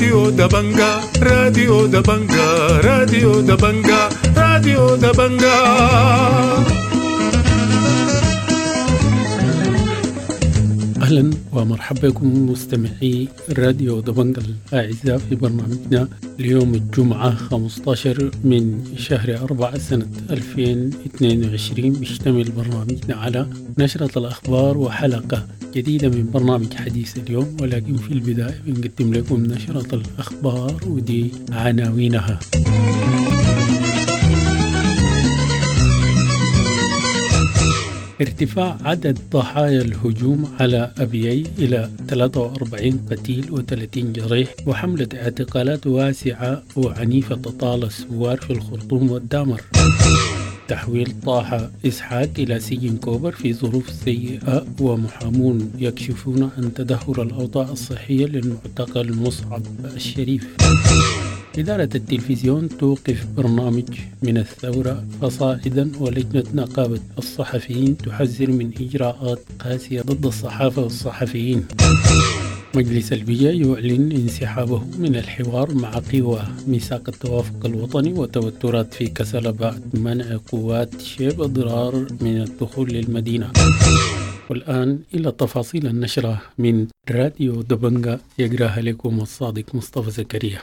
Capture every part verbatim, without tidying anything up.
راديو دبنجا، راديو دبنجا، راديو دبنجا، راديو دبنجا. أهلا ومرحبا بكم مستمعي راديو دبنجا الأعزاء في برنامجنا اليوم الجمعة خمسة عشر من شهر أربعة سنة ألفين واثنين وعشرين. بيشتمل برنامجنا على نشرة الأخبار وحلقة جديدة من برنامج حديث اليوم، ولكن في البداية بنقدم لكم نشرة الأخبار ودي عناوينها. ارتفاع عدد ضحايا الهجوم على أبيي إلى ثلاثة وأربعين قتيل وثلاثين جريح، وحملة اعتقالات واسعة وعنيفة تطال الثوار في الخرطوم والدامر. تحويل طه إسحاق إلى سجن كوبر في ظروف سيئة، ومحامون يكشفون عن تدهور الأوضاع الصحية للمعتقل مصعب الشريف. إدارة التلفزيون توقف برنامج من الثورة فصاعدا، ولجنة نقابة الصحفيين تحذر من إجراءات قاسية ضد الصحافة والصحفيين. مجلس البيئة يعلن انسحابه من الحوار مع قوى ميثاق التوافق الوطني، وتوترات في كسلا بعد منع قوات شيب ضرار من الدخول للمدينة. والآن إلى تفاصيل النشرة من راديو دبنجا يقراها لكم الصادق مصطفى زكريا.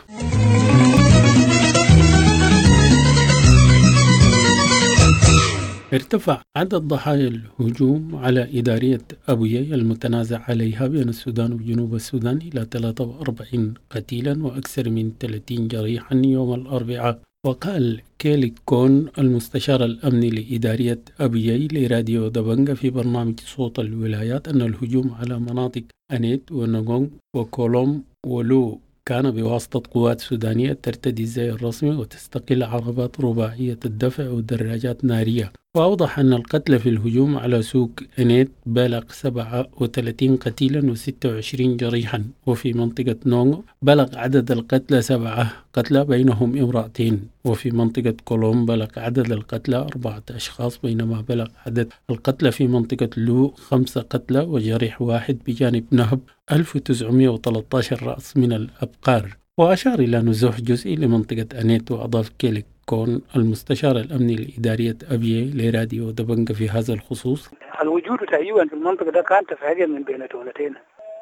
ارتفع عدد ضحايا الهجوم على إدارية أبيي المتنازع عليها بين السودان وجنوب السودان إلى ثلاثة وأربعين قتيلا وأكثر من ثلاثين جريحا يوم الأربعاء. وقال كيلي كون المستشار الأمني لإدارية أبيي لراديو دبنجا في برنامج صوت الولايات أن الهجوم على مناطق أنيت ونغونغ وكولوم ولو كان بواسطة قوات سودانية ترتدي الزي الرسمي وتستقل عربات رباعية الدفع ودراجات نارية. وأوضح أن القتل في الهجوم على سوق أنيت بلغ سبعة وثلاثين قتيلا وستة وعشرين جريحا، وفي منطقة نونغ بلغ عدد القتلى سبعة قتلى بينهم امرأتين، وفي منطقة كولوم بلغ عدد القتلى أربعة أشخاص، بينما بلغ عدد القتلى في منطقة لو خمسة قتلى وجريح واحد، بجانب نهب ألف وتسعمائة وثلاثة عشر رأس من الأبقار. وأشار إلى نزوح جزئي لمنطقة أنيت. وأضاف كيلي كون المستشار الأمني لإدارية أبيي لراديو دبنجا في هذا الخصوص: الوجود تقريبا في المنطقة ده كان تفاجئ من بين دولتين،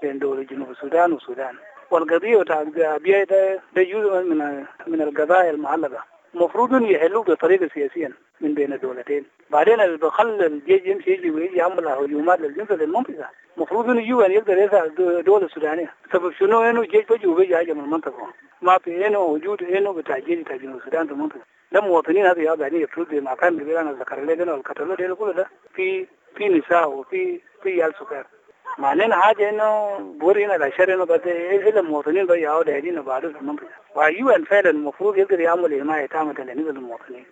بين دولة جنوب السودان والسودان، والقضية بتاع أبيي ده ده جزء من من القضايا المعلقة، المفروض إنه يحلوه بطريقة سياسية من بين الدولتين. بعدين اللي بخلى الجيش يمشي يجي ويجي يعمل هجومات للجنس للمنطقة، المفروض إنه يجوا يقدر يسأل الدول السودانية سبب شنو إنه الجيش بيجي وبيجي هاجم المنطقة، ما في إنه وجود إنه بتاع الجيش بتاع جنوب السودان في المنطقة. ده مواطنين هذه قاعدين يفرضوا زي ما كان بيقول أنا ذكر لي أنا والكتلوا ده كله ده في في نساء وفي في عيال صغار. معنانا حاجة إنه بورينا الأشياء إنه بس إلا المواطنين بيجوا دايرين بعده في المنطقة، وأيوة فعلا المفروض يقدر يعمل حماية تامة للمواطنين.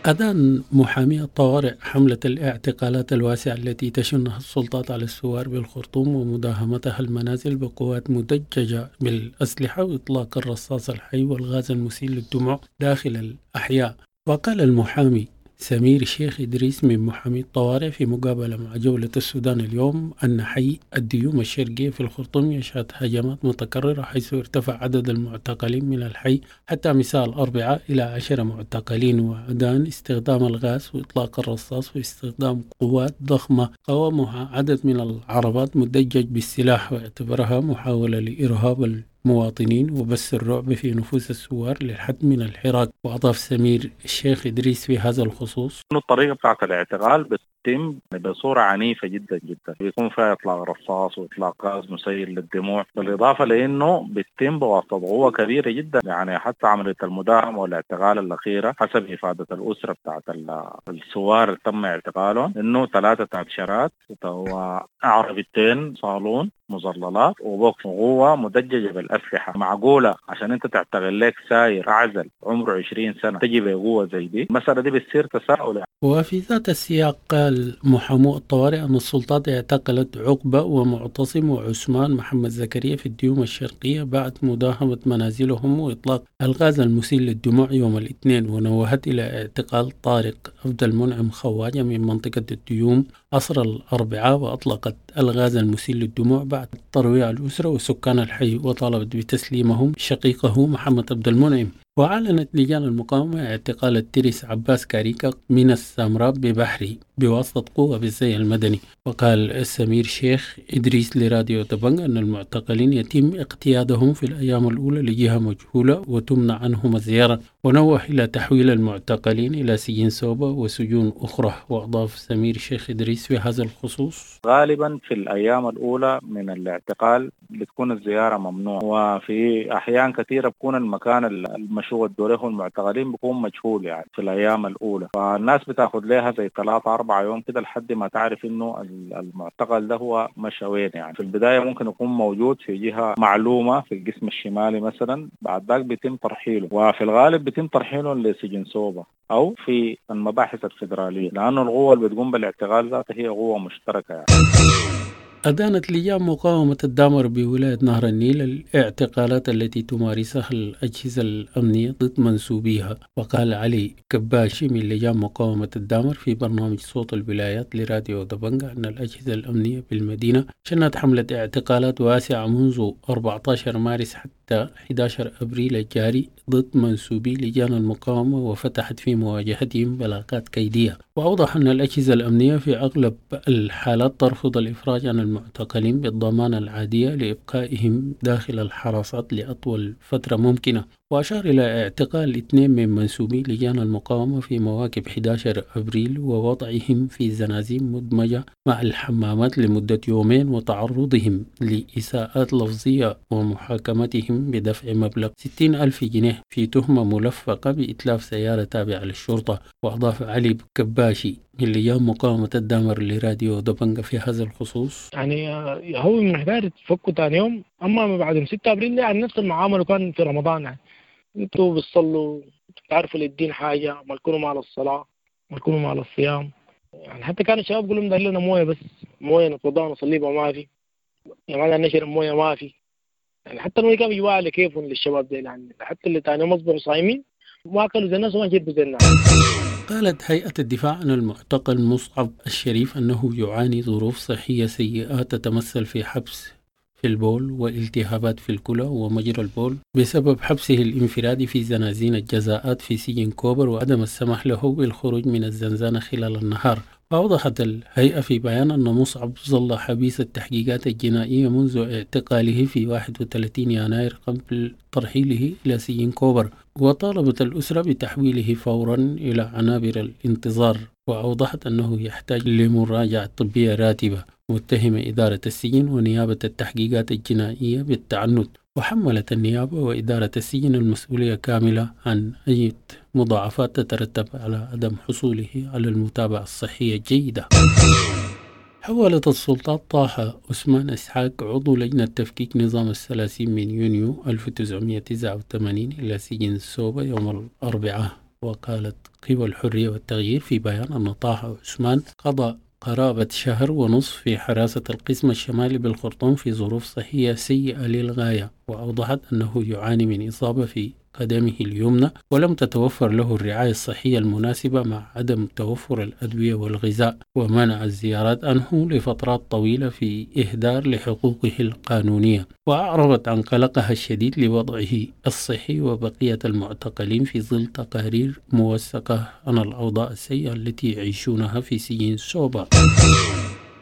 أدان محامي الطوارئ حملة الاعتقالات الواسعة التي تشنها السلطات على الثوار بالخرطوم ومداهمتها المنازل بقوات مدججة بالأسلحة وإطلاق الرصاص الحي والغاز المسيل للدموع داخل الأحياء. وقال المحامي سمير شيخ إدريس من محامي الطوارئ في مقابلة مع جولة السودان اليوم أن حي الديوم الشرقية في الخرطوم يشهد هجمات متكررة، حيث ارتفع عدد المعتقلين من الحي حتى مساء الأربعاء إلى عشرة معتقلين، وأدان استخدام الغاز وإطلاق الرصاص واستخدام قوات ضخمة قوامها عدد من العربات مدجج بالسلاح، واعتبرها محاولة لإرهاب المواطنين وبث الرعب في نفوس الثوار للحد من الحراك. وأضاف سمير الشيخ إدريس في هذا الخصوص: الطريقة بتاعت الاعتقال بتتم بصورة عنيفة جدا جدا، بيكون فيها إطلاق رصاص وإطلاق غاز مسيل للدموع، بالإضافة لأنه بيتم بواسطة قوة كبيرة جدا. يعني حتى عملية المداهمة والاعتقال الأخيرة حسب إفادة الأسرة بتاعت الثوار تم اعتقالهم إنه ثلاثة عشرات وعربيتين صالون مظللات وبوكس قوة مدججة بالأسلحة. معقولة عشان أنت تعتقل لك ساير أعزل عمره عشرين سنة تجي بقوة زي دي؟ المسألة دي بتصير تساؤل. وفي ذات السياق وقال محامو الطوارئ أن السلطات اعتقلت عقبة ومعتصم وعثمان محمد زكريا في الديوم الشرقية بعد مداهمة منازلهم وإطلاق الغاز المسيل للدموع يوم الاثنين، ونوهت إلى اعتقال طارق عبد المنعم خواجة من منطقة الديوم عصر الأربعاء، وأطلقت الغاز المسيل للدموع بعد ترويع الأسرة وسكان الحي، وطالبت بتسليمهم شقيقه محمد عبد المنعم. وأعلنت لجان المقاومة اعتقال الترس عباس كاريكا من السامراب ببحري بواسطة قوة بالزي المدني. وقال سمير شيخ إدريس لراديو دبنج أن المعتقلين يتم اقتيادهم في الأيام الأولى لجهة مجهولة وتمنع عنهم الزيارة، ونوه إلى تحويل المعتقلين إلى سجن سوبا وسجون أخرى. وأضاف سمير شيخ إدريس في هذا الخصوص: غالبا في الأيام الأولى من الاعتقال بتكون الزيارة ممنوعة، وفي أحيان كثيرة بكون المكان المشهود دوره المعتقلين بيكون مجهول يعني في الأيام الأولى، فالناس بتاخد لها زي ثلاثة أربعة يوم كده لحد ما تعرف إنه المعتقل ده هو مشى وين. يعني في البداية ممكن يكون موجود في جهة معلومة في القسم الشمالي مثلا، بعد ذاك بيتم ترحيله، وفي الغالب بيتم ترحيله لسجن سوبا أو في المباحث الفيدرالية، لأنه القوة اللي بتقوم بالاعتقال ذاتها هي قوة مشتركة يعني. أدانت لجان مقاومة الدامر بولاية نهر النيل الاعتقالات التي تمارسها الأجهزة الأمنية ضد منسوبيها. وقال علي كباشي من لجان مقاومة الدامر في برنامج صوت الولايات لراديو دبنجا أن الأجهزة الأمنية بالمدينة شنت حملة اعتقالات واسعة منذ أربعة عشر مارس حتى أحد عشر أبريل الجاري ضد منسوبي لجان المقاومة، وفتحت في مواجهتهم بلاغات كيدية. وأوضح أن الأجهزة الأمنية في أغلب الحالات ترفض الإفراج عن المعتقلين بالضمانة العادية لإبقائهم داخل الحراسات لأطول فترة ممكنة. وأشار إلى اعتقال اثنين من منسوبي لجان المقاومة في مواكب أحد عشر أبريل ووضعهم في زنازين مدمجة مع الحمامات لمدة يومين، وتعرضهم لإساءات لفظية ومحاكمتهم بدفع مبلغ ستين ألف جنيه في تهمة ملفقة بإتلاف سيارة تابعة للشرطة. وأضاف علي كباشي من لجان مقاومة الدامر لراديو دبنجا في هذا الخصوص: يعني هو من حكاية تفكوا تاني يوم، أما بعد ستة أبريل يعني نفس المعاملة كان في رمضان، يعني انتوا بتصلوا بتعرفوا للدين حاجة، ما تكونوا مع الصلاة ما تكونوا مع الصيام. يعني حتى كان الشباب يقولوا لهم لنا مويه، بس مويه نتوضا ونصلي بها ما في، يعني ما نشرب مويه ما في. يعني حتى المويه كانوا يجوا على كيفهم للشباب دي، يعني حتى اللي تاني يوم اصبحوا صايمين ما اكلوا زي الناس وما شربوا زي الناس. قالت هيئة الدفاع عن المعتقل مصعب الشريف أنه يعاني ظروف صحية سيئة تتمثل في حبس في البول والتهابات في الكلى ومجرى البول بسبب حبسه الانفرادي في زنازين الجزاءات في سجن كوبر وعدم السماح له بالخروج من الزنزانة خلال النهار. وأوضحت الهيئة في بيان أن مصعب ظل حبيس التحقيقات الجنائية منذ اعتقاله في واحد وثلاثين يناير قبل ترحيله إلى سجن كوبر، وطالبت الأسرة بتحويله فورا إلى عنابر الانتظار. وأوضحت أنه يحتاج لمراجعة طبية راتبة، متهمة إدارة السجن ونيابة التحقيقات الجنائية بالتعنت. وحملت النيابة وإدارة السجن المسؤولية كاملة عن أي مضاعفات تترتب على عدم حصوله على المتابعة الصحية الجيدة. حولت السلطات طه عثمان إسحاق عضو لجنة تفكيك نظام الثلاثين من يونيو ألف وتسعمائة وتسعة وثمانين إلى سجن سوبا يوم الأربعاء. وقالت قوى الحرية والتغيير في بيان أن طه عثمان قضى قرابة شهر ونصف في حراسة القسم الشمالي بالخرطوم في ظروف صحية سيئة للغاية، وأوضحت أنه يعاني من إصابة في قدمه اليمنى ولم تتوفر له الرعاية الصحية المناسبة مع عدم توفر الأدوية والغذاء، ومنع الزيارات عنه لفترات طويلة في إهدار لحقوقه القانونية. وأعربت عن قلقها الشديد لوضعه الصحي وبقية المعتقلين في ظل تقارير موثقة عن الأوضاع السيئة التي يعيشونها في سجن سوبا.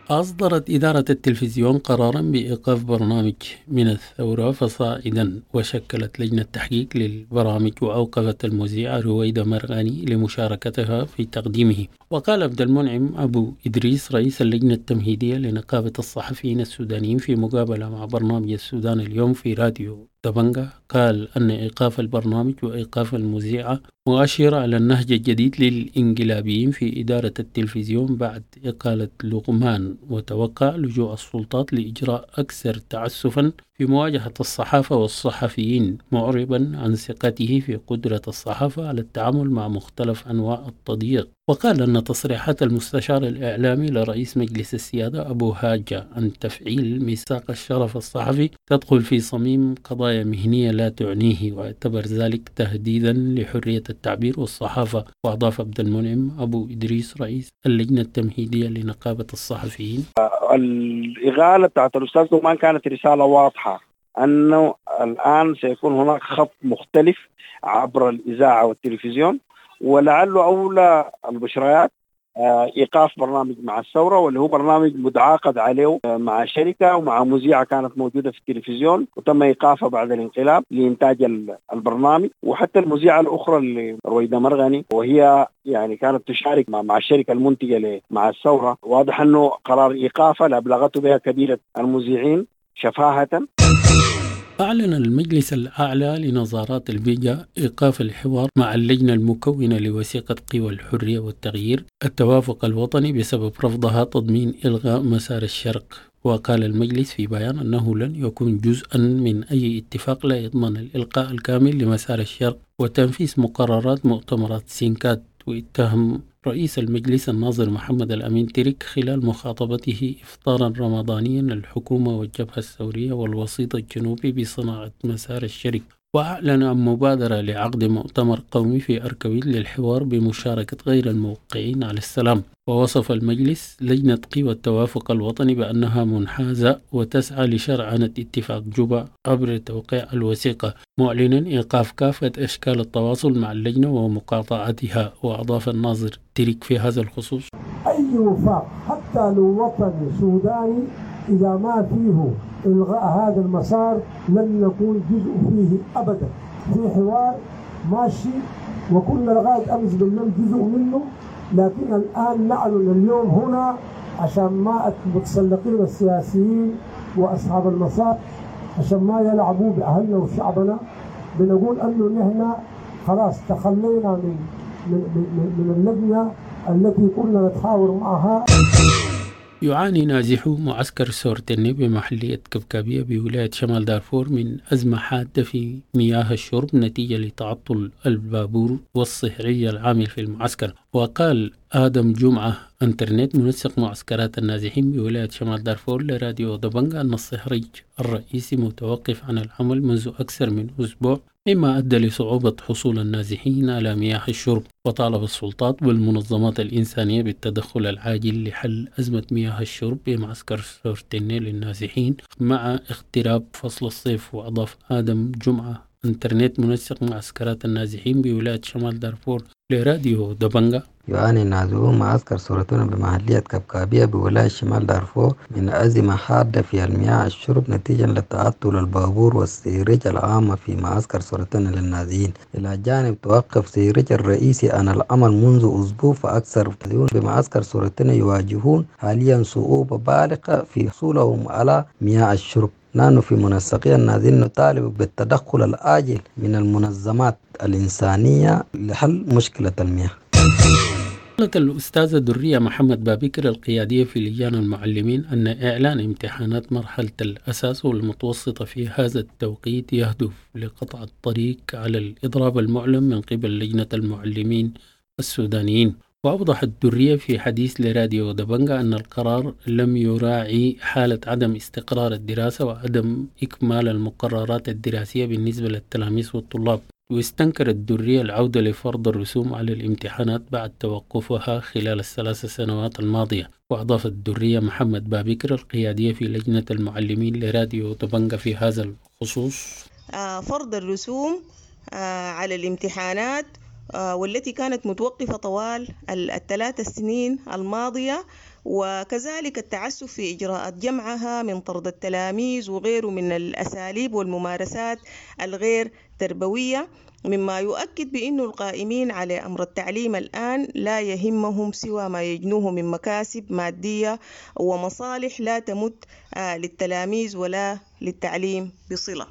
أصدرت إدارة التلفزيون قرارا بإيقاف برنامج من الثورة فصاعدا، وشكلت لجنة تحقيق للبرامج وأوقفت المذيعة رويدة مرغاني لمشاركتها في تقديمه. وقال عبد المنعم أبو إدريس رئيس اللجنة التمهيدية لنقابة الصحفيين السودانيين في مقابلة مع برنامج السودان اليوم في راديو دبنجا، قال أن إيقاف البرنامج وإيقاف المذيعة مؤشر على النهج الجديد للإنقلابيين في إدارة التلفزيون بعد إقالة لقمان، وتوقع لجوء السلطات لإجراء أكثر تعسفا في مواجهة الصحافة والصحفيين، معربا عن ثقته في قدرة الصحافة على التعامل مع مختلف أنواع التضييق. وقال أن تصريحات المستشار الإعلامي لرئيس مجلس السيادة أبو هاجة عن تفعيل ميثاق الشرف الصحفي تدخل في صميم قضايا مهنية لا تعنيه، واعتبر ذلك تهديدا لحرية التعبير والصحافة. وأضاف عبد المنعم أبو إدريس رئيس اللجنة التمهيدية لنقابة الصحفيين: الإغالة بتاعت الأستاذ دومان كانت رسالة واضحة أنه الآن سيكون هناك خط مختلف عبر الإذاعة والتلفزيون، ولعله أولى البشريات إيقاف برنامج مع الثورة، واللي هو برنامج متعاقد عليه مع شركة ومع مذيعة كانت موجودة في التلفزيون وتم إيقافها بعد الانقلاب لإنتاج البرنامج. وحتى المذيعة الأخرى اللي رويدة مرغني، وهي يعني كانت تشارك مع الشركة المنتجة مع الثورة، واضح أنه قرار إيقافها لأبلغته بها كبيرة المذيعين شفاهة. أعلن المجلس الأعلى لنظارات البيجا إيقاف الحوار مع اللجنة المكونة لوثيقة قوى الحرية والتغيير التوافق الوطني بسبب رفضها تضمين إلغاء مسار الشرق. وقال المجلس في بيان أنه لن يكون جزءا من أي اتفاق لا يضمن الإلقاء الكامل لمسار الشرق وتنفيذ مقررات مؤتمرات سينكات. واتهم رئيس المجلس الناظر محمد الأمين ترك خلال مخاطبته إفطارا رمضانيا الحكومة والجبهة الثورية والوسيط الجنوبي بصناعة مسار الشرق. وأعلن عن مبادرة لعقد مؤتمر قومي في أركويت للحوار بمشاركة غير الموقعين على السلام. ووصف المجلس لجنة قوى التوافق الوطني بأنها منحازة وتسعى لشرعنة اتفاق جوبا عبر توقيع الوثيقة، معلنا إيقاف كافة أشكال التواصل مع اللجنة ومقاطعتها. وأضاف الناظر ترك في هذا الخصوص: أي وفاق حتى لو وطني سوداني إذا ما فيه إلغاء هذا المسار لن نكون جزء فيه أبدا. في حوار ماشي وكنا لغاية أمس بالليل جزء منه، لكن الآن نعلن اليوم هنا عشان ما المتسلقين السياسيين وأصحاب المسار عشان ما يلعبوا بأهلنا وشعبنا، بنقول أنه نحن خلاص تخلينا من من من, من اللجنة التي كنا نتحاور معها. يعاني نازحو معسكر سورتني بمحلية كبكابية بولاية شمال دارفور من أزمة حادة في مياه الشرب نتيجة لتعطل البابور والصهرية العامل في المعسكر. وقال آدم جمعة انترنت منسق معسكرات النازحين بولاية شمال دارفور لراديو دبنجا أن الصهريج الرئيسي متوقف عن العمل منذ أكثر من أسبوع، مما أدى لصعوبة حصول النازحين على مياه الشرب. وطالب السلطات والمنظمات الإنسانية بالتدخل العاجل لحل أزمة مياه الشرب بمعسكر سورتيني للنازحين مع اقتراب فصل الصيف. وأضاف آدم جمعة انترنت منسق معسكرات النازحين بولاية شمال دارفور لراديو دبنجا: يعاني النازحون معسكر سورتون بمحلية كبكابية بولاية شمال دارفور من أزمة حادة في المياه الشرب نتيجة لتعطل البابور والسيرج العامة في معسكر سورتون للنازحين. إلى جانب توقف سيرج الرئيسي عن العمل منذ أسبوع، فأكثر بمعسكر سورتون يواجهون حاليا صعوبة بالغة في حصولهم على مياه الشرب. نحن في منسقية النازحين نطالب بالتدخل العاجل من المنظمات الإنسانية لحل مشكلة المياه. قالت الأستاذة درية محمد بابكر القيادية في لجان المعلمين أن إعلان امتحانات مرحلة الأساس والمتوسطة في هذا التوقيت يهدف لقطع الطريق على الإضراب المعلن من قبل لجنة المعلمين السودانيين. وأوضحت الدرية في حديث لراديو دبنجا أن القرار لم يراعي حالة عدم استقرار الدراسة وعدم إكمال المقررات الدراسية بالنسبة للتلاميذ والطلاب. واستنكرت الدرية العودة لفرض الرسوم على الامتحانات بعد توقفها خلال الثلاث سنوات الماضية. وأضافت الدرية محمد بابكر القيادية في لجنة المعلمين لراديو دبنجا في هذا الخصوص: فرض الرسوم على الامتحانات والتي كانت متوقفة طوال الثلاث سنين الماضية، وكذلك التعسف في إجراءات جمعها من طرد التلاميذ وغيره من الأساليب والممارسات الغير تربوية، مما يؤكد بأن القائمين على أمر التعليم الآن لا يهمهم سوى ما يجنوه من مكاسب مادية ومصالح لا تمت للتلاميذ ولا للتعليم بصلة.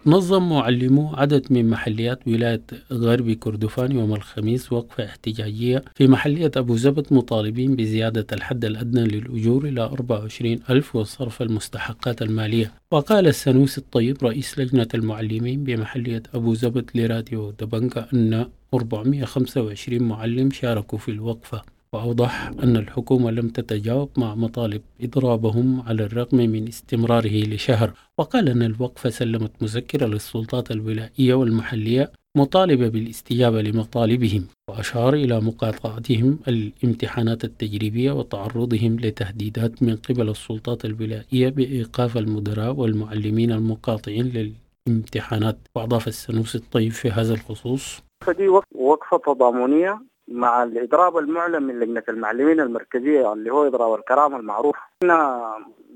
نظم معلمو عدد من محليات ولاية غرب كردفان يوم الخميس وقفة احتجاجية في محلية أبو زبد مطالبين بزيادة الحد الأدنى للأجور إلى أربعة وعشرين ألف وصرف المستحقات المالية. وقال السنوسي الطيب رئيس لجنة المعلمين بمحلية أبو زبد لراديو دبنقا أن أربعمئة وخمسة وعشرين معلم شاركوا في الوقفة، وأوضح أن الحكومة لم تتجاوب مع مطالب إضرابهم على الرغم من استمراره لشهر. وقال أن الوقفة سلمت مذكرة للسلطات الولائية والمحلية مطالبة بالاستجابة لمطالبهم، وأشار إلى مقاطعتهم الامتحانات التجريبية وتعرضهم لتهديدات من قبل السلطات الولائية بإيقاف المدراء والمعلمين المقاطعين للامتحانات. وأضاف السنوسي الطيب في هذا الخصوص: فدي وقفة تضامنية مع الإضراب المعلن من لجنة المعلمين المركزية اللي هو إضراب الكرامة المعروف. إحنا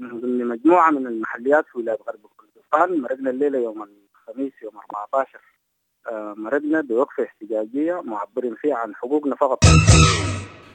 من ضمن مجموعة من المحليات في ولاية غرب كردفان مرقنا الليلة يوم الخميس يوم أربعة عشر، مرقنا بوقفة احتجاجية معبرين فيها عن حقوقنا فقط.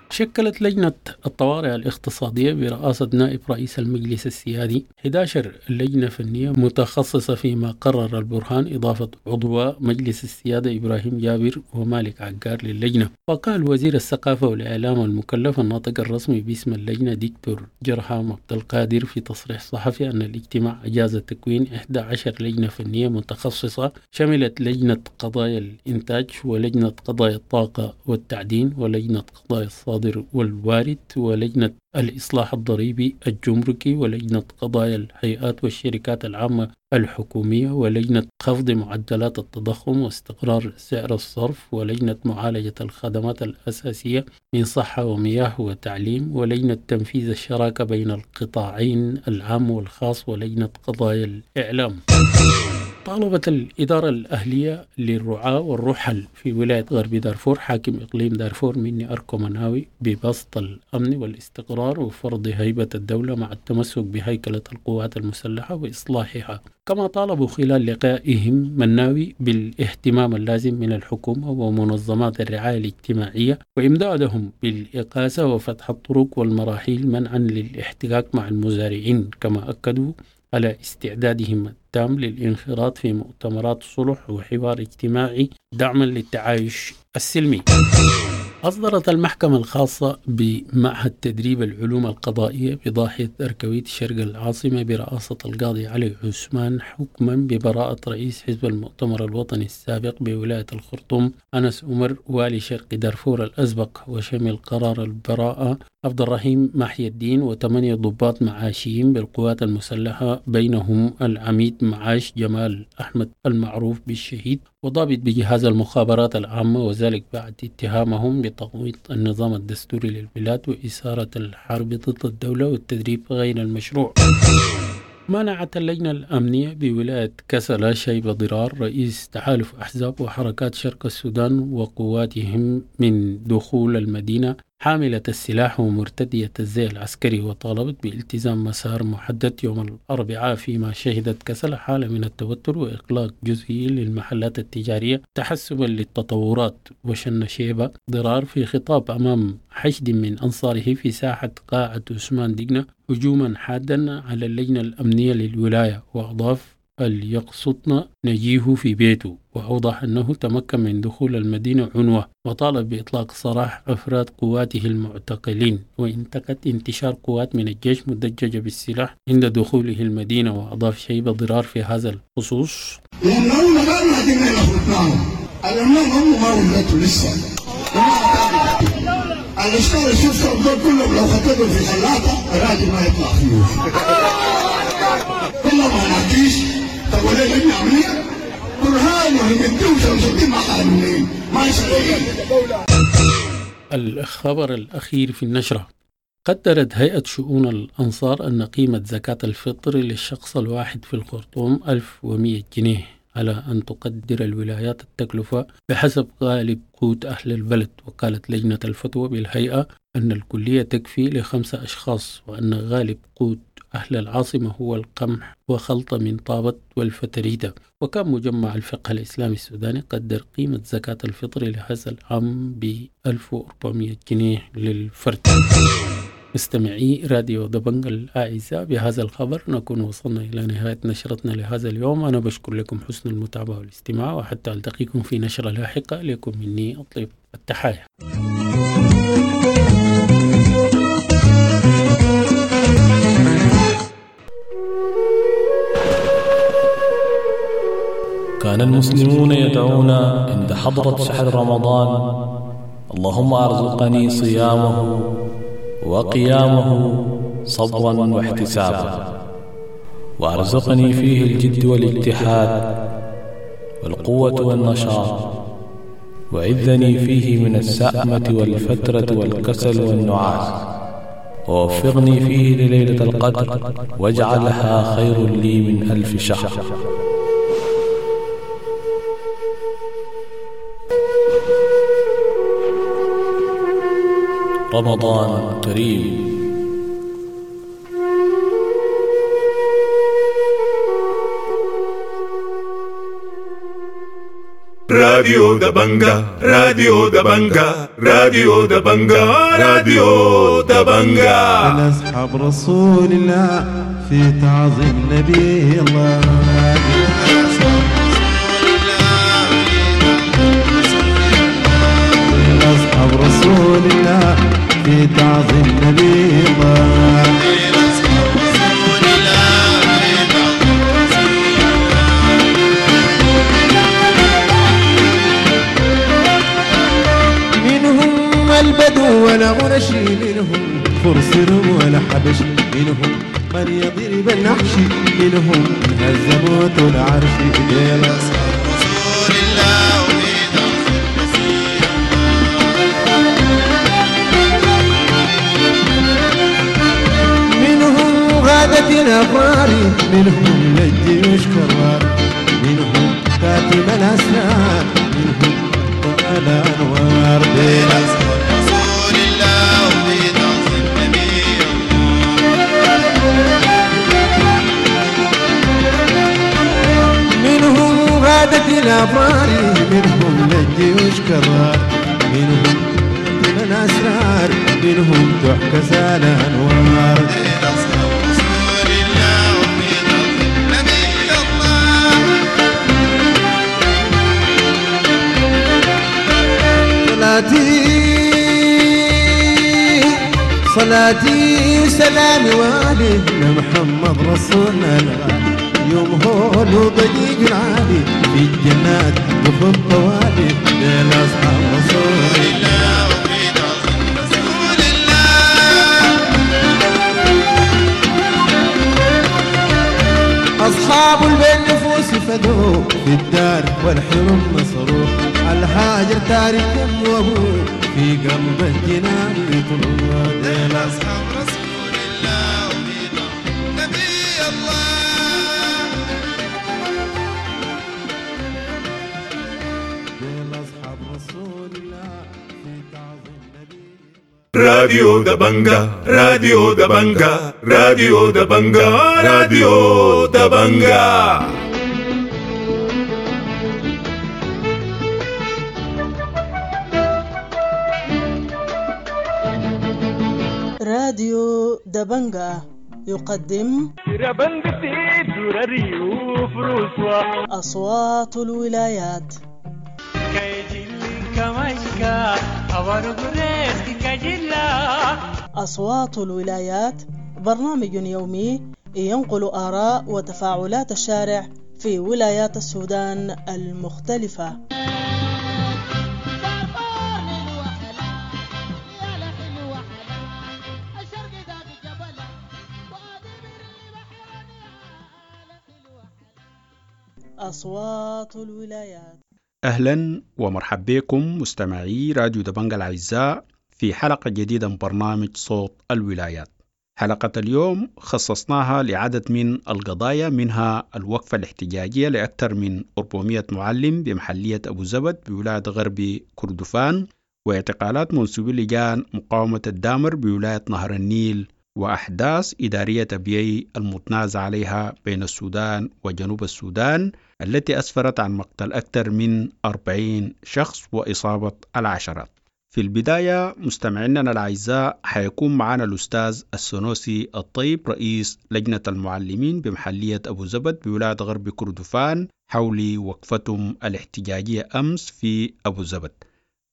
شكلت لجنة الطوارئ الاقتصادية برئاسة نائب رئيس المجلس السيادي إحدى عشرة لجنة فنية متخصصة فيما قرر البرهان إضافة عضو مجلس السيادة إبراهيم جابر ومالك عقار للجنة. وقال وزير الثقافة والإعلام المكلف الناطق الرسمي باسم اللجنة دكتور جرحام عبد القادر في تصريح صحفي أن الاجتماع أجاز تكوين إحدى عشرة لجنة فنية متخصصة شملت لجنة قضايا الإنتاج ولجنة قضايا الطاقة والتعدين ولجنة قضايا الصادر والوارد ولجنة الإصلاح الضريبي الجمركي ولجنة قضايا الهيئات والشركات العامة الحكومية ولجنة خفض معدلات التضخم واستقرار سعر الصرف ولجنة معالجة الخدمات الأساسية من صحة ومياه وتعليم ولجنة تنفيذ الشراكة بين القطاعين العام والخاص ولجنة قضايا الإعلام. طالبت الإدارة الأهلية للرعاة والرحل في ولاية غرب دارفور حاكم إقليم دارفور مني أركو مناوي ببسط الأمن والاستقرار وفرض هيبة الدولة مع التمسك بهيكلة القوات المسلحة وإصلاحها. كما طالبوا خلال لقائهم مناوي بالاهتمام اللازم من الحكومة ومنظمات الرعاية الاجتماعية وإمدادهم بالإقاسة وفتح الطرق والمراحيل منعا للاحتكاك مع المزارعين. كما أكدوا على استعدادهم التام للانخراط في مؤتمرات صلح وحوار اجتماعي دعما للتعايش السلمي. أصدرت المحكمة الخاصة بمعهد تدريب العلوم القضائية بضاحية أركويت شرق العاصمة برئاسة القاضي علي عثمان حكما ببراءة رئيس حزب المؤتمر الوطني السابق بولاية الخرطوم أنس عمر والي شرق دارفور الأسبق، وشمل قرار البراءة عبد الرحيم محي الدين وثمانية ضباط معاشيين بالقوات المسلحة بينهم العميد معاش جمال أحمد المعروف بالشهيد وضابط بجهاز المخابرات العامة، وذلك بعد اتهامهم بتقويض النظام الدستوري للبلاد وإثارة الحرب ضد الدولة والتدريب غير المشروع. منعت اللجنة الأمنية بولاية كسلا شيبة ضرار رئيس تحالف أحزاب وحركات شرق السودان وقواتهم من دخول المدينة حاملة السلاح ومرتدية الزي العسكري، وطالبت بالتزام مسار محدد يوم الأربعاء، فيما شهدت كسلا حالة من التوتر وإغلاق جزئي للمحلات التجارية تحسبا للتطورات. وشن شيبة ضرار في خطاب أمام حشد من أنصاره في ساحة قاعة عثمان دقنة هجوما حادا على اللجنة الأمنية للولاية، وأضاف يقصدنا نجيه في بيته، وأوضح أنه تمكن من دخول المدينة عنوة، وطالب بإطلاق سراح أفراد قواته المعتقلين، وانتقد انتشار قوات من الجيش مدججة بالسلاح عند دخوله المدينة. وأضاف شيبة ضرار في هذا الخصوص: الخبر الأخير في النشرة: قدرت هيئة شؤون الأنصار أن قيمة زكاة الفطر للشخص الواحد في الخرطوم ألف ومئة جنيه، على أن تقدر الولايات التكلفة بحسب غالب قوت أهل البلد. وقالت لجنة الفتوى بالهيئة أن الكلية تكفي لخمسة أشخاص، وأن غالب قوت أهل العاصمة هو القمح وخلطة من طابت والفتريدة. وكان مجمع الفقه الإسلامي السوداني قدر قيمة زكاة الفطر لهذا العام ب ألف وأربعمئة جنيه للفرد. مستمعي راديو دبنج الأعزاء، بهذا الخبر نكون وصلنا إلى نهاية نشرتنا لهذا اليوم. أنا بشكر لكم حسن المتابعة والاستماع، وحتى ألتقيكم في نشرة لاحقة. لكم مني أطيب التحايا. كان المسلمون يدعون عند حضرة شهر رمضان: اللهم أرزقني صيامه وقيامه صبرا واحتسابا، وأرزقني فيه الجد والاجتهاد والقوة والنشاط، وعذني فيه من السأمة والفترة والكسل والنعاس، ووفقني فيه لليلة القدر واجعلها خير لي من ألف شهر. رمضان كريم. راديو دبنجا، راديو دبنجا، راديو دبنجا، راديو دبنجا. أصحاب رسول الله في تعظيم نبي الله. أصحاب رسول الله في تعظيم نبي الله. منهم البدو ولا غرشي، منهم فرس ولا حبش، منهم من يضرب النحش، منهم هزموت العرش. الأبرار، منهم للجيوش كرار، منهم كاتب الأسرار، منهم طال أنوار. بين أصحاب رسول الله وفي تعظيم نبي الله. منهم غادة الأبرار، منهم للجيوش كرار، منهم كاتب الأسرار، منهم تحكى الأنوار. صلاتي صلاتي وسلامي والي لمحمد رسولنا الغالي، يوم هول وضجيج العالي في الجنات وفي الطوالي. لأصحاب رسول الله وفي تعظيم رسول الله. أصحاب البين نفوس فدوا في الدار والحرم نصروا، الهاجر تارك وابوه في قلب الجنان يطلوا. ديل أصحاب رسول الله وفي تعظيم نبي الله. ديل أصحاب رسول الله في تعظيم نبي. راديو دبنجا، راديو دبنجا، راديو دبنجا، راديو دبنجا. راديو دبنجا يقدم أصوات الولايات. أصوات الولايات برنامج يومي ينقل آراء وتفاعلات الشارع في ولايات السودان المختلفة. أصوات الولايات. أهلا ومرحبا بكم مستمعي راديو دبنجا الأعزاء في حلقة جديدة من برنامج صوت الولايات. حلقة اليوم خصصناها لعدد من القضايا، منها الوقفة الاحتجاجية لأكثر من أربعمائة معلم بمحلية أبو زبد بولاية غرب كردفان، واعتقالات منسوبي لجان مقاومة الدامر بولاية نهر النيل، وأحداث إدارية أبيي المتنازع عليها بين السودان وجنوب السودان التي أسفرت عن مقتل أكثر من أربعين شخص وإصابة العشرات. في البداية مستمعينا الأعزاء حيكون معنا الأستاذ السنوسي الطيب رئيس لجنة المعلمين بمحلية أبو زبد بولاية غرب كردفان حول وقفتهم الاحتجاجية أمس في أبو زبد.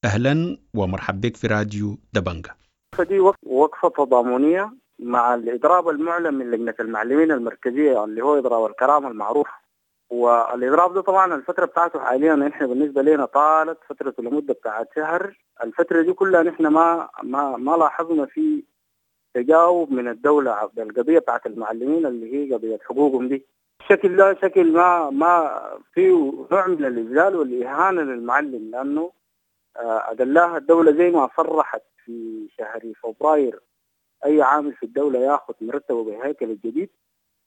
أهلا ومرحبا بك في راديو دبنجة. فدي وقفة تضامنية مع الإضراب المعلن من لجنة المعلمين المركزية اللي هو إضراب الكرامة المعروف. والإضراب ده طبعا الفترة بتاعته حاليا نحن بالنسبة لنا طالت فترة لمدة بتاعت شهر. الفترة دي كلها نحن ما ما ما لاحظنا في تجاوب من الدولة بالقضية بتاعت المعلمين اللي هي قضية حقوقهم دي. الشكل ده شكل ما ما فيه نوع من الإذلال والإهانة للمعلم، لأنه أدلاها الدولة زي ما صرحت في شهر فبراير أي عامل في الدولة ياخذ مرتبه بالهيكل الجديد.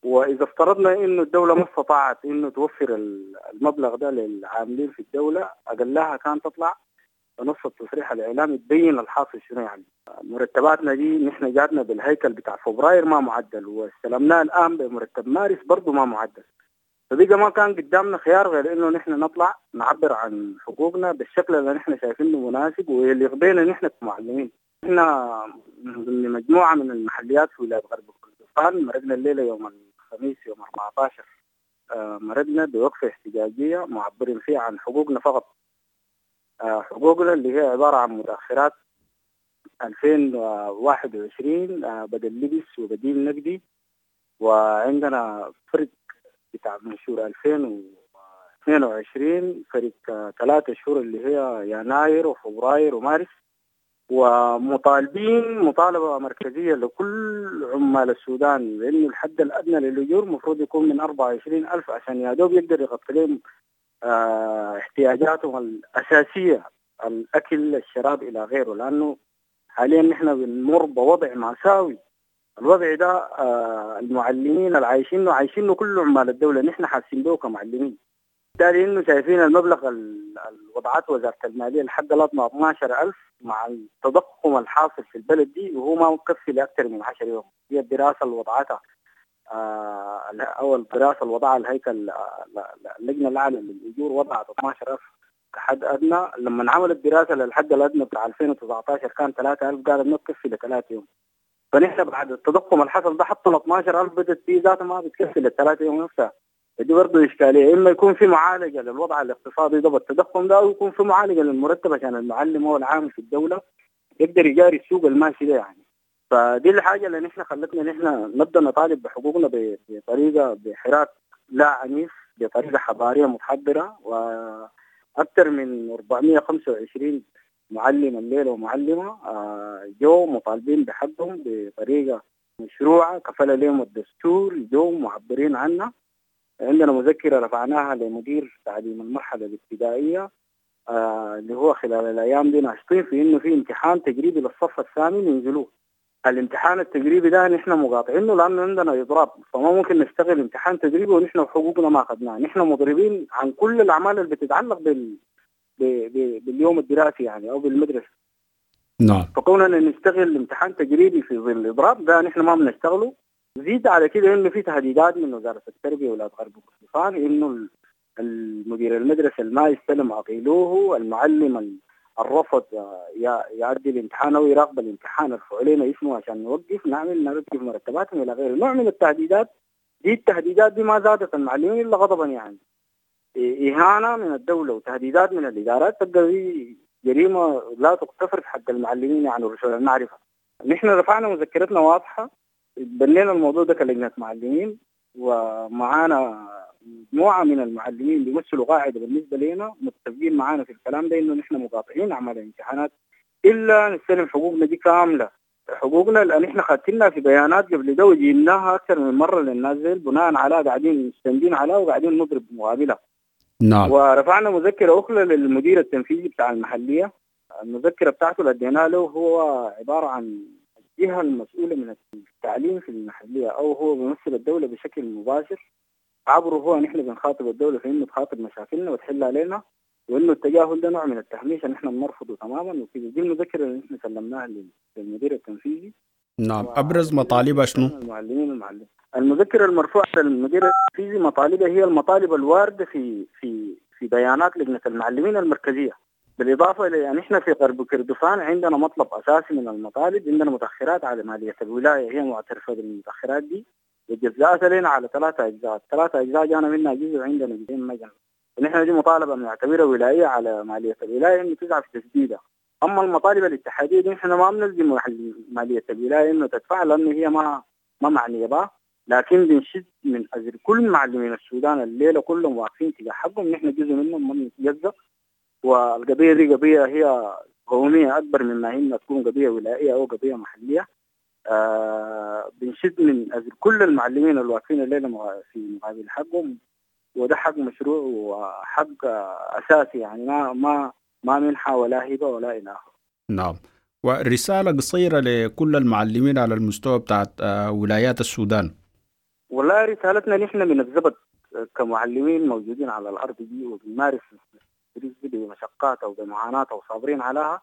وإذا افترضنا إنه الدولة ما استطاعت إنه توفر المبلغ ده للعاملين في الدولة، أقلها كان تطلع بنص التصريح الإعلامي تبين الحاصل شنو. يعني مرتباتنا دي نحن جاتنا بالهيكل بتاع فبراير ما معدل، واستلمناه الآن بمرتب مارس برضو ما معدل. فبقى ما كان قدامنا خيار غير إنه نحن نطلع نعبر عن حقوقنا بالشكل اللي نحن شايفينه مناسب ويليق بينا نحن كمعلمين. نحن من مجموعة من المحليات في ولاية غرب كردفان مرقنا الليلة يوم الخميس يوم أربعة عشر، مرقنا بوقفة احتجاجية معبرين فيها عن حقوقنا فقط. حقوقنا اللي هي عبارة عن متأخرات ألفين وواحد وعشرين بدل لبس وبديل نقدي، وعندنا فرق بتاع منشور ألفين واثنين وعشرين فرق ثلاثة شهور اللي هي يناير وفبراير ومارس. ومطالبين مطالبة مركزية لكل عمال السودان لأنه الحد الأدنى للأجور مفروض يكون من أربعة وعشرين ألف عشان يا دوب يقدر يغطي لهم اه احتياجاتهم الأساسية، الأكل الشراب إلى غيره. لأنه حاليا نحن بنمر بوضع مأساوي. الوضع ده اه المعلمين العايشينه عايشينه كل عمال الدولة، نحن حاسين به كمعلمين. بالتالي انه شايفين المبلغ الوضعات وزارة المالية الحد الأدنى اثنا عشر ألف مع التضخم الحاصل في البلد دي، وهو ما مكفي لأكثر من عشر يوم. هي الدراسة اللي وضعتها آه أو الدراسة اللي وضعها الهيكل اللجنة الأعلى للأجور وضعت اثنا عشر ألف كحد أدنى. لما عملت دراسة للحد الأدنى بتاع ألفين وتسعة عشر كان ثلاثة ألف، قالت ما تكفي لثلاث يوم. فنحن بعد التضخم الحصل ده حتى ال اثنا عشر ألف بدت فيه ذاتها ما بتكفي للثلاث يوم نفسها. دي برضه إشكالية، إما يكون في معالجة للوضع الاقتصادي ده بالتضخم ده، أو يكون في معالجة للمرتب عشان المعلم هو العامل في الدولة يقدر يجاري السوق الماشي ده يعني. فدي الحاجة اللي نحن خلتنا نحن نبدأ نطالب بحقوقنا بطريقة بحراك لا عنيف، بطريقة حضارية متحضرة. وأكثر من أربعمية وخمسة وعشرين معلم الليلة ومعلمة جو مطالبين بحقهم بطريقة مشروعة كفل لهم الدستور، جو معبرين عنها. عندنا مذكرة رفعناها لمدير تعليم المرحلة الابتدائية آه اللي هو خلال الأيام دي ناشطين في إنه في امتحان تجريبي للصف الثامن ينزلوه. الامتحان التجريبي ده نحن مقاطعينه لأنه عندنا إضراب، فما ممكن نشتغل امتحان تجريبي ونحن حقوقنا ما أخذناها. نحن مضربين عن كل الأعمال اللي بتتعلق بال... ب... ب... باليوم الدراسي يعني أو بالمدرسة. نعم. فكوننا نشتغل امتحان تجريبي في ظل الإضراب ده نحن ما بنشتغله. زيد على كده انه في تهديدات من وزارة التربية ولاية غرب كردفان انه المدير المدرسة ما يستلم عقيلوه، المعلم الرفض يعدي الامتحان او يراقب الامتحان ارفعوا لنا اسمه عشان نوقف نعمل نرتب مرتباتهم الى غيره. نوع من التهديدات دي. التهديدات دي ما زادت المعلمين الا غضبا، يعني اهانه من الدولة وتهديدات من الادارات تبقى دي جريمة لا تغتفر في حق المعلمين يعني رسول المعرفة. نحن رفعنا مذكرتنا واضحة، بنينا الموضوع ده كلجنة معلمين ومعانا مجموعة من المعلمين بيمثلوا قاعدة بالنسبة لنا متفقين معانا في الكلام ده إنه نحن مقاطعين أعمال الامتحانات إلا نستلم حقوقنا دي كاملة. حقوقنا لأن نحن خدتنا في بيانات قبل ده وجيناها أكثر من مرة للناس بناء على قاعدين مستندين عليها وقاعدين نضرب مقابلها. نعم. ورفعنا مذكرة أخرى للمدير التنفيذي بتاع المحلية. المذكرة بتاعته اللي اديناها له هو عبارة عن الجهة المسؤولة من التعليم في المحلية أو هو بيمثل الدولة بشكل مباشر. عبره هو نحن بنخاطب الدولة في إنه تخاطب مشاكلنا وتحلها علينا، وإنه التجاهل ده نوع من التهميش نحن بنرفضه تماما وكده. دي المذكرة اللي نحن سلمناها للمدير التنفيذي. نعم. أبرز مطالبها شنو؟ المعلمين المعلم. المذكرة المرفوعة للمدير التنفيذي مطالبها هي المطالب الواردة في في في بيانات لجنة المعلمين المركزية. بالاضافة الى يعني احنا في غرب كردفان عندنا مطلب اساسي من المطالب، عندنا متاخرات على ماليه الولاية، هي معترفة بالمتاخرات دي وجزاءتها لنا على ثلاثة اجزاء، ثلاثة اجزاء جانا منها جزء وعندنا جزئين ما جانا. ونحن دي مطالبه بنعتبرها ولاية على ماليه الولاية انه تسعى في تسديدها. اما المطالب الاتحادية دي احنا ما بنلزم ماليه الولاية انه تدفع لانه هي ما ما معنية بها، لكن بنشد من اجل كل معلمين السودان الليلة كلهم واقفين تجاه حقهم، نحن جزء منهم ما بنتجزأ. والقضية دي قضية هي قومية اكبر مما هي تكون قضية ولائيه او قضية محليه. آه بنشد من اجل كل المعلمين اللي واقفين الليلة في مقابل حقهم، وده حق مشروع وحق اساسي، يعني ما ما ما منحه ولا هبه ولا الى اخره. نعم، ورسالة قصيرة لكل المعلمين على المستوى بتاعت ولايات السودان. والله رسالتنا نحن من الزبد كمعلمين موجودين على الارض دي وبنمارس التدريس دي بمشقاتها وبمعاناتها وصابرين عليها.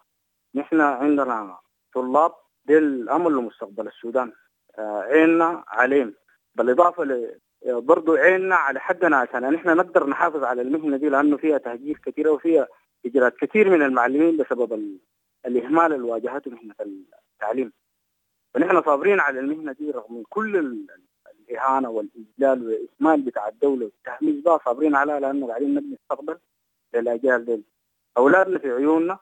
نحن عندنا طلاب دي الامل لمستقبل السودان، عيننا عليهم، بالاضافة ل برضو عيننا على حقنا عشان نحن نقدر نحافظ على المهنة دي، لانه فيها تهجير كثيرة وفيها هجرات كثير من المعلمين بسبب الاهمال اللي واجهته مهنة التعليم. فنحن صابرين على المهنة دي رغم كل الاهانة والاذلال والاهمال بتاع الدولة والتهميش ده، صابرين عليها لانه قاعدين نبني مستقبل للاجيال دي، اولادنا في عيوننا.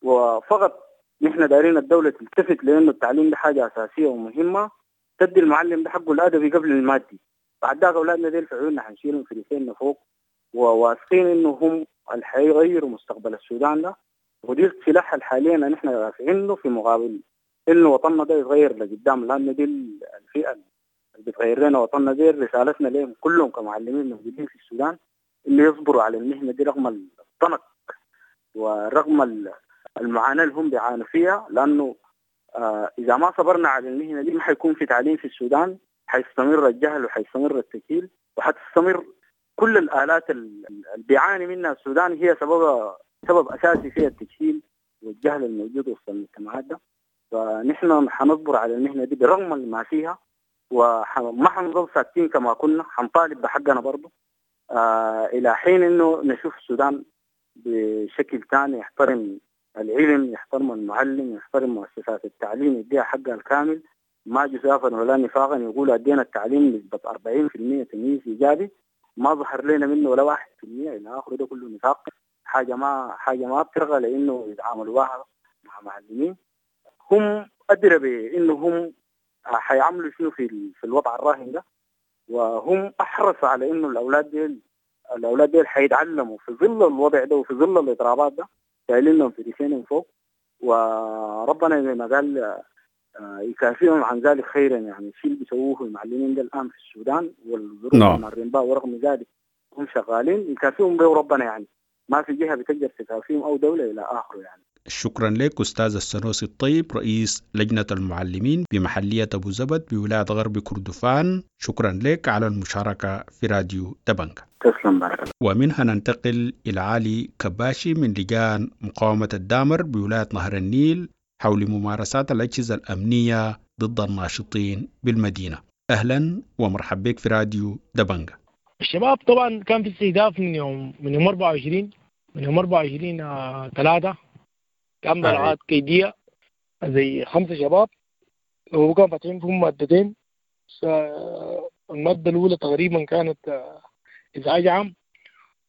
وفقط نحن دارين الدولة تلتفت لانه التعليم ده حاجة اساسية ومهمة، تدي المعلم ده حقه الادبي قبل المادي. بعد ذاك اولادنا ديل في عيوننا حنشيلهم في ريسيننا فوق، وواثقين انه هم اللي حيغيروا مستقبل السودان ده، ودي السلاح حاليا نحن رافعينه في مقابل انه وطننا ده يتغير لقدام، لانه دي الفئة اللي بتغير لنا وطننا. دي رسالتنا لهم كلهم كمعلمين موجودين في السودان انه يصبروا على المهنة دي رغم الضنك ورغم المعاناة اللي هم بيعانوا فيها، لانه آه اذا ما صبرنا على المهنة دي ما حيكون في تعليم في السودان، حيستمر الجهل وحيستمر التكيل وحتستمر كل الآلات اللي بيعاني منها السودان، هي سبب سبب أساسي فيها التجهيل والجهل الموجود وسط المجتمعات ده. فنحن حنصبر على المهنة دي برغم ما فيها، وما حنظل ساكتين كما كنا، حنطالب بحقنا برضه آه إلى حين إنه نشوف السودان بشكل ثاني يحترم العلم، يحترم المعلم، يحترم مؤسسات التعليم، يديها حقها الكامل، ما جزافا ولا نفاقا. يقولوا أدينا التعليم نسبة أربعين بالمئة تمييز إيجابي، ما ظهر لنا منه ولا واحد في المئة إلى آخره، ده كله نفاق، حاجة ما حاجة ما بترغى لأنه يتعاملوا بها مع معلمين هم أدرى بأنه هم حيعملوا شنو في في الوضع الراهن ده، وهم أحرص على إنه الأولاد ديل الأولاد ديل حيتعلموا في ظل الوضع ده وفي ظل الإضرابات ده، شايلينهم في ريشينهم فوق، وربنا زي ما قال يكافئهم عن ذلك خيرا. يعني الشيء اللي بيسووه المعلمين ده الآن في السودان والظروف اللي مارين بها ورغم ذلك هم شغالين، يكافئهم به ربنا، يعني ما في جهة بتقدر تكافئهم أو دولة إلى آخره يعني. شكرا لك أستاذ السنوسي الطيب، رئيس لجنة المعلمين بمحلية أبو زبد بولاية غرب كردفان. شكرا لك على المشاركة في راديو دبنجا. تسلم بارك الله. ومنها ننتقل إلى علي كباشي من لجان مقاومة الدامر بولاية نهر النيل حول ممارسات الأجهزة الأمنية ضد الناشطين بالمدينة. أهلا ومرحبا بك في راديو دبنجا. الشباب طبعا كان في استهداف من يوم من يوم أربعة وعشرين من يوم أربعة وعشرين ثلاثة، كان بلعات كيدية زي خمسة شباب، وكان فاتحين فيهم مادتين. المادة الأولى تقريبا كانت إزعاج عام،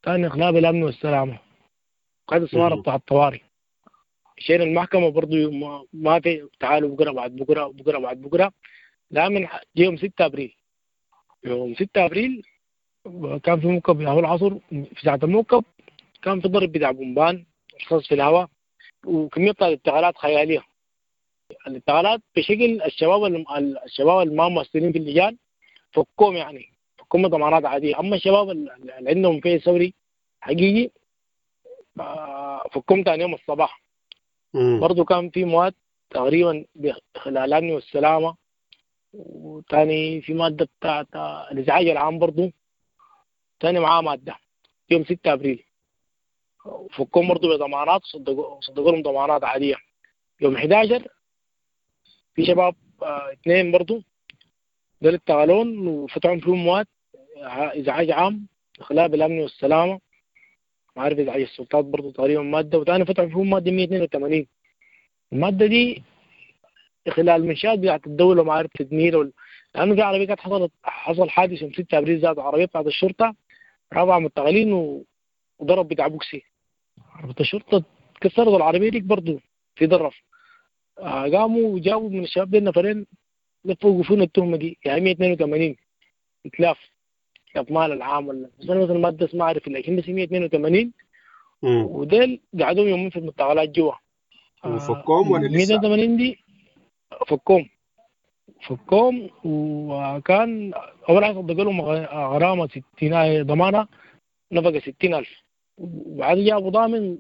ثاني إخلال بالأمن والسلامة، هذا الصوارة بتاع الطوارئ. مشينا المحكمة برضو ما في تعالوا بكرة بعد بكرة بكرة بعد بكرة، لا من يوم ستة أبريل. يوم ستة أبريل كان في موكب ياهو العصر، في ساعة الموكب كان في ضرب بتاع بومبان رصاص في الهواء وكمية الانتقالات خيالية. الانتقالات بشكل الشباب الشباب اللي ما مؤثرين في اللجان فكوم، يعني فكوم ضمانات عادية. أما الشباب اللي عندهم فيه ثوري حقيقي فكوم تاني يوم الصباح. برضو كان في مواد تقريبا بخلال الأمن والسلامة، وتاني في مادة بتاعت الإزعاج العام برضو تاني معاه مادة يوم ستة أبريل فكهم برضو بضمانات، صدقوا صدقوا لهم ضمانات عادية. يوم أحد عشر في شباب اه اثنين برضو دول اشتغلون وفتحوا فيهم مواد إزعاج عام إخلال بالأمن والسلامة، ما عارف إذا السلطات برضه تقريبا مادة، وتاني فتحوا فيهم مادة مية واثنين وثمانين. المادة دي خلال منشآت بتاعت الدولة ما عارف تدمير ولا، لأنه في عربية كانت حصلت حصل حادث يوم ستة أبريل ذاته، عربية بتاعت الشرطة رابعة متغلين و... وضرب بتاع بوكسي، عربية الشرطة كسرت العربية ديك برضه في ضرر. آه قاموا وجابوا من الشباب دي نفرين لفوا وقفونا التهمة دي، يعني مية واثنين وثمانين إتلاف إتلاف مال العام ولا بس أنا مثلا مادة ما أعرف، لكن بس مية واثنين وثمانين. وديل قعدوا يومين في المعتقلات جوا. وفكوهم ولا لسه؟ مية واثنين وثمانين دي فكوهم فكوهم وكان أول حاجة صدقوا لهم غرامة ستين ضمانة نفقة ستين ألف، وبعد جابوا ضامن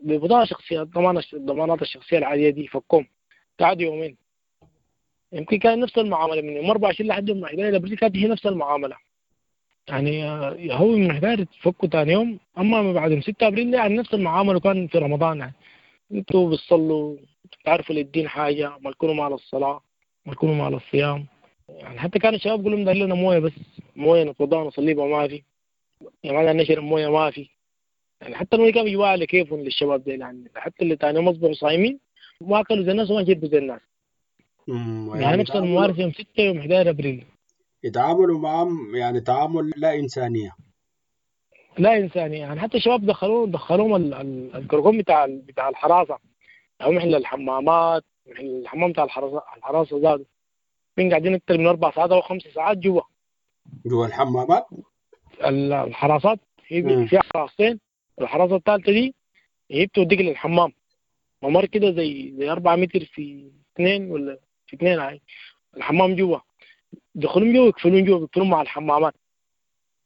ببطاقة شخصية ضمانة الضمانات الشخصية العادية دي فكوهم قعدوا يومين. يمكن كان نفس المعاملة من يوم أربعة وعشرين لحد يوم أحد عشر أبريل كانت هي نفس المعاملة، يعني هو من أحد عشر فكوا ثاني يوم، أما بعد يوم ستة أبريل يعني نفس المعاملة كان في رمضان. يعني انتوا بتصلوا بتعرفوا للدين حاجة، ما تكونوا مع الصلاة ما تكونوا مع الصيام. يعني حتى كان الشباب يقولوا لهم لنا موية بس موية نتوضأ نصلي بها ما في، يعني ما نشرب موية ما في. يعني حتى الموية كانوا بيجوا على كيفهم للشباب دي، يعني حتى اللي تاني يوم أصبحوا صايمين ما أكلوا زي الناس وما شربوا زي الناس. يعني, يعني نفس الممارسة يوم ستة يوم أحد عشر أبريل يتعاملوا معهم يعني تعامل لا إنسانية لا إنسانية. يعني حتى الشباب دخلوهم دخلوهم الكركم بتاع بتاع الحراسة، أو محل الحمامات، محل الحمام بتاع الحراسة الحراسة زادوا من قاعدين أكثر من أربع ساعات أو خمس ساعات جوا جوا الحمامات. الحراسات هي في حراستين، الحراسة الثالثة دي هي بتوديك للحمام، ممر كده زي زي أربعة متر في اثنين ولا في اثنين، هاي الحمام جوا دخلون جوا يقفلون جوا يقفلون مع الحمامات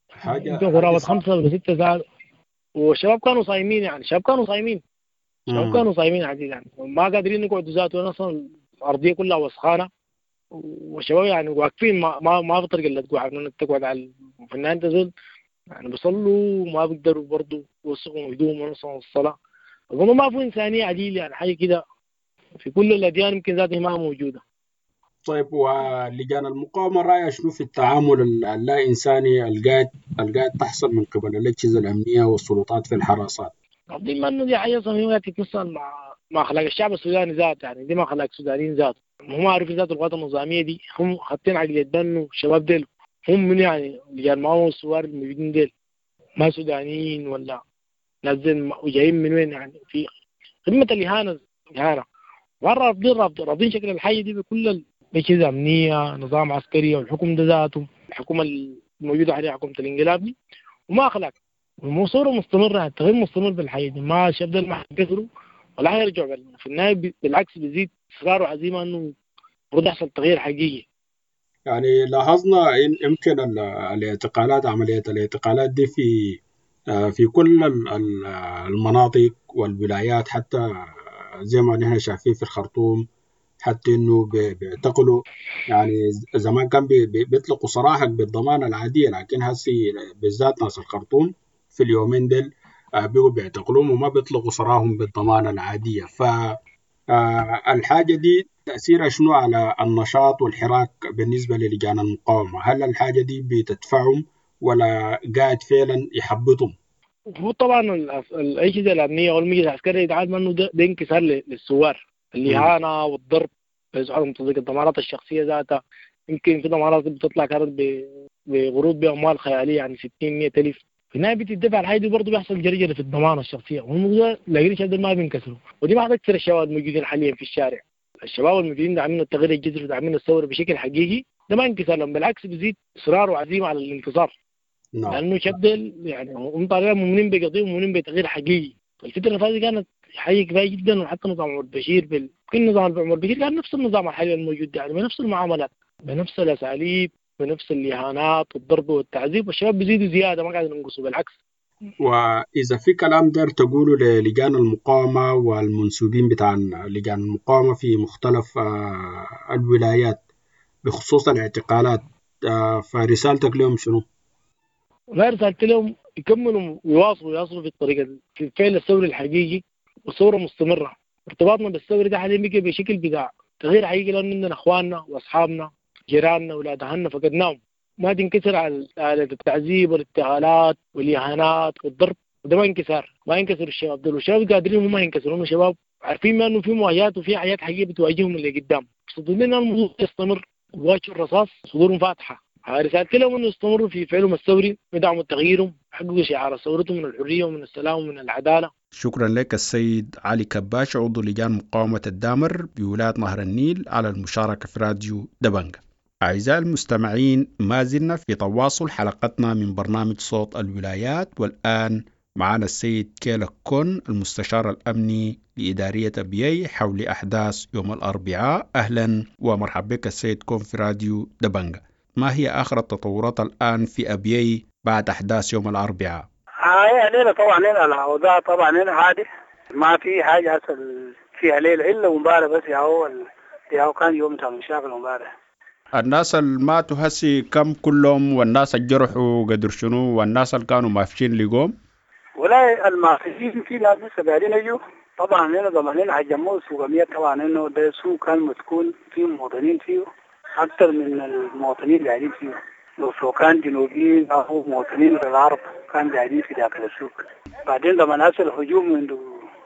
حاجة قرابة خمسة ولا ستة ساعات. والشباب كانوا صايمين، يعني الشباب كانوا صايمين الشباب كانوا صايمين عديد، يعني ما قادرين يقعدوا ذاته، أصلا الأرضية كلها وسخانة والشباب يعني واقفين ما ما ما في طريقة إلا تقعد إنك تقعد على الفنان تزول، يعني بيصلوا وما بيقدروا برضه يوثقوا هدومهم ونصهم الصلاة. أظن ما في إنسانية عديل، يعني حاجة كده في كل الأديان يمكن ذاتها ما موجودة. طيب ولجان المقاومة رأيها شنو في التعامل اللا إنساني القاعد القاعد تحصل من قبل الأجهزة الأمنية والسلطات في الحراسات؟ دي ما إنه دي حاجة صميمة تتمثل مع مع أخلاق الشعب السوداني ذاته، يعني دي ما أخلاق السودانيين ذاته، هم عارفين ذات القوات النظامية دي هم حاطين عقلية بأنه الشباب ديل هم من يعني لجان المقاومة والثوار الموجودين ديل ما سودانيين ولا نازلين وجايين من وين، يعني في قمة الإهانة الإهانة رافضين رافضين شكل الحي دي بكل أجهزة أمنية، نظام عسكري، والحكم ده ذاته الحكومة الموجودة حاليا حكومة الانقلاب دي وما أخلاق، والصورة مستمرة، التغيير مستمر بالحي دي، ما الشباب ده ما حيكسروا ولا حيرجعوا، في النهاية بالعكس بيزيد إصرار وعزيمة إنه المفروض يحصل تغيير حقيقي. يعني لاحظنا إن يمكن الاعتقالات عملية الاعتقالات دي في في كل المناطق والولايات، حتى زي ما نحن شايفين في الخرطوم، حتى انه بيعتقلوا يعني زمان كان بيطلقوا سراحك بالضمانه العاديه، لكن هسي بالذات ناس الخرطوم في اليومين ديل بيقوا بيعتقلوهم وما بيطلقوا سراحهم بالضمانه العاديه. ف الحاجه دي تاثيرها شنو على النشاط والحراك بالنسبه للجان المقاومه؟ هل الحاجه دي بتدفعهم ولا قاعد فعلا يحبطهم؟ هو طبعا الاجهزه الامنيه والمجلس العسكري يتعامل انه ده, ده انكسار للثوار، الإهانة والضرب، عدم تصديق الضمانات الشخصية ذاتها، يمكن في ضمانات بتطلع كانت بغروض بأموال خيالية يعني ستين مية ألف، في النهاية بتدفع الحاجة دي برضه بيحصل جرجرة في الضمانة الشخصية، وهم لاقيين الشباب ما بينكسروا، ودي ما أكثر الشباب الموجودين حاليا في الشارع، الشباب الموجودين داعمين التغيير الجذري وداعمين الثورة بشكل حقيقي، ده ما انكسر لهم، بالعكس بيزيد إصرار وعزيمة على الانتصار. نعم. لأنه شاب يعني هم طالعين مؤمنين بقضية ومؤمنين بتغيير حقيقي. الفترة اللي فاتت كانت حقيقي كفاية جدا، وحتى نظام عمر بشير بال... كل نظام عمر بشير كان نفس النظام الحالي الموجود، يعني بنفس المعاملات بنفس الأساليب بنفس الإهانات والضرب والتعذيب، والشباب بيزيدوا زيادة ما قاعدين ينقصوا بالعكس. وإذا في كلام دار تقوله للجان المقاومة والمنسوبين بتاع لجان المقاومة في مختلف الولايات بخصوص الاعتقالات، فرسالتك لهم شنو؟ والله رسالتي لهم يكملوا ويواصلوا يواصلوا في الطريقة في الفعل الثوري الحقيقي والثورة مستمرة. ارتباطنا بالثورة ده حاليا بيجي بشكل بتاع تغيير حقيقي، لأن عندنا إخواننا وأصحابنا جيراننا أولاد أهلنا فقدناهم، ما تنكسر على على التعذيب والاغتيالات والإهانات والضرب. وده ما انكسار، ما ينكسر الشباب دول، والشباب قادرين هم ما ينكسروا، هم شباب عارفين ما انه في مواجهات وفي حاجات حقيقية بتواجههم اللي قدام. صدقني ان الموضوع يستمر، واجهوا الرصاص صدورهم فاتحة. رسالتي لهم انه يستمروا في فعلهم الثوري، يدعموا تغييرهم، يحققوا شعار ثورتهم من الحرية ومن السلام ومن العدالة. شكرا لك السيد علي كباش عضو لجان مقاومة الدامر بولاية نهر النيل على المشاركة في راديو دبنجة. أعزائي المستمعين، ما زلنا في تواصل حلقتنا من برنامج صوت الولايات، والآن معنا السيد كيلا كون المستشار الأمني لإدارية أبيي حول أحداث يوم الأربعاء. أهلا ومرحبا بك السيد كون في راديو دبنجة. ما هي آخر التطورات الآن في أبيي بعد أحداث يوم الأربعاء؟ هاي ليلة طبعا هنا الأوضاع طبعا هنا عادي، ما في حاجة حصل فيها ليلة إلا مبارح بس، يا هو يا هو كان يوم تاع مشاكل مبارح. الناس اللي ماتوا هسي كم كلهم، والناس اللي جرحوا قدر شنو، والناس اللي كانوا مافشين لقوم؟ ولا المافشين في ناس لسه قاعدين يجوا طبعا هنا ضمانين هجموا سوق طبعا انه ده سوق كان مسكون فيه مواطنين فيه اكثر من المواطنين قاعدين فيه، لو كان جنوبيين او مواطنين العرب كان قاعدين في داخل السوق. بعدين لما ناس الهجوم من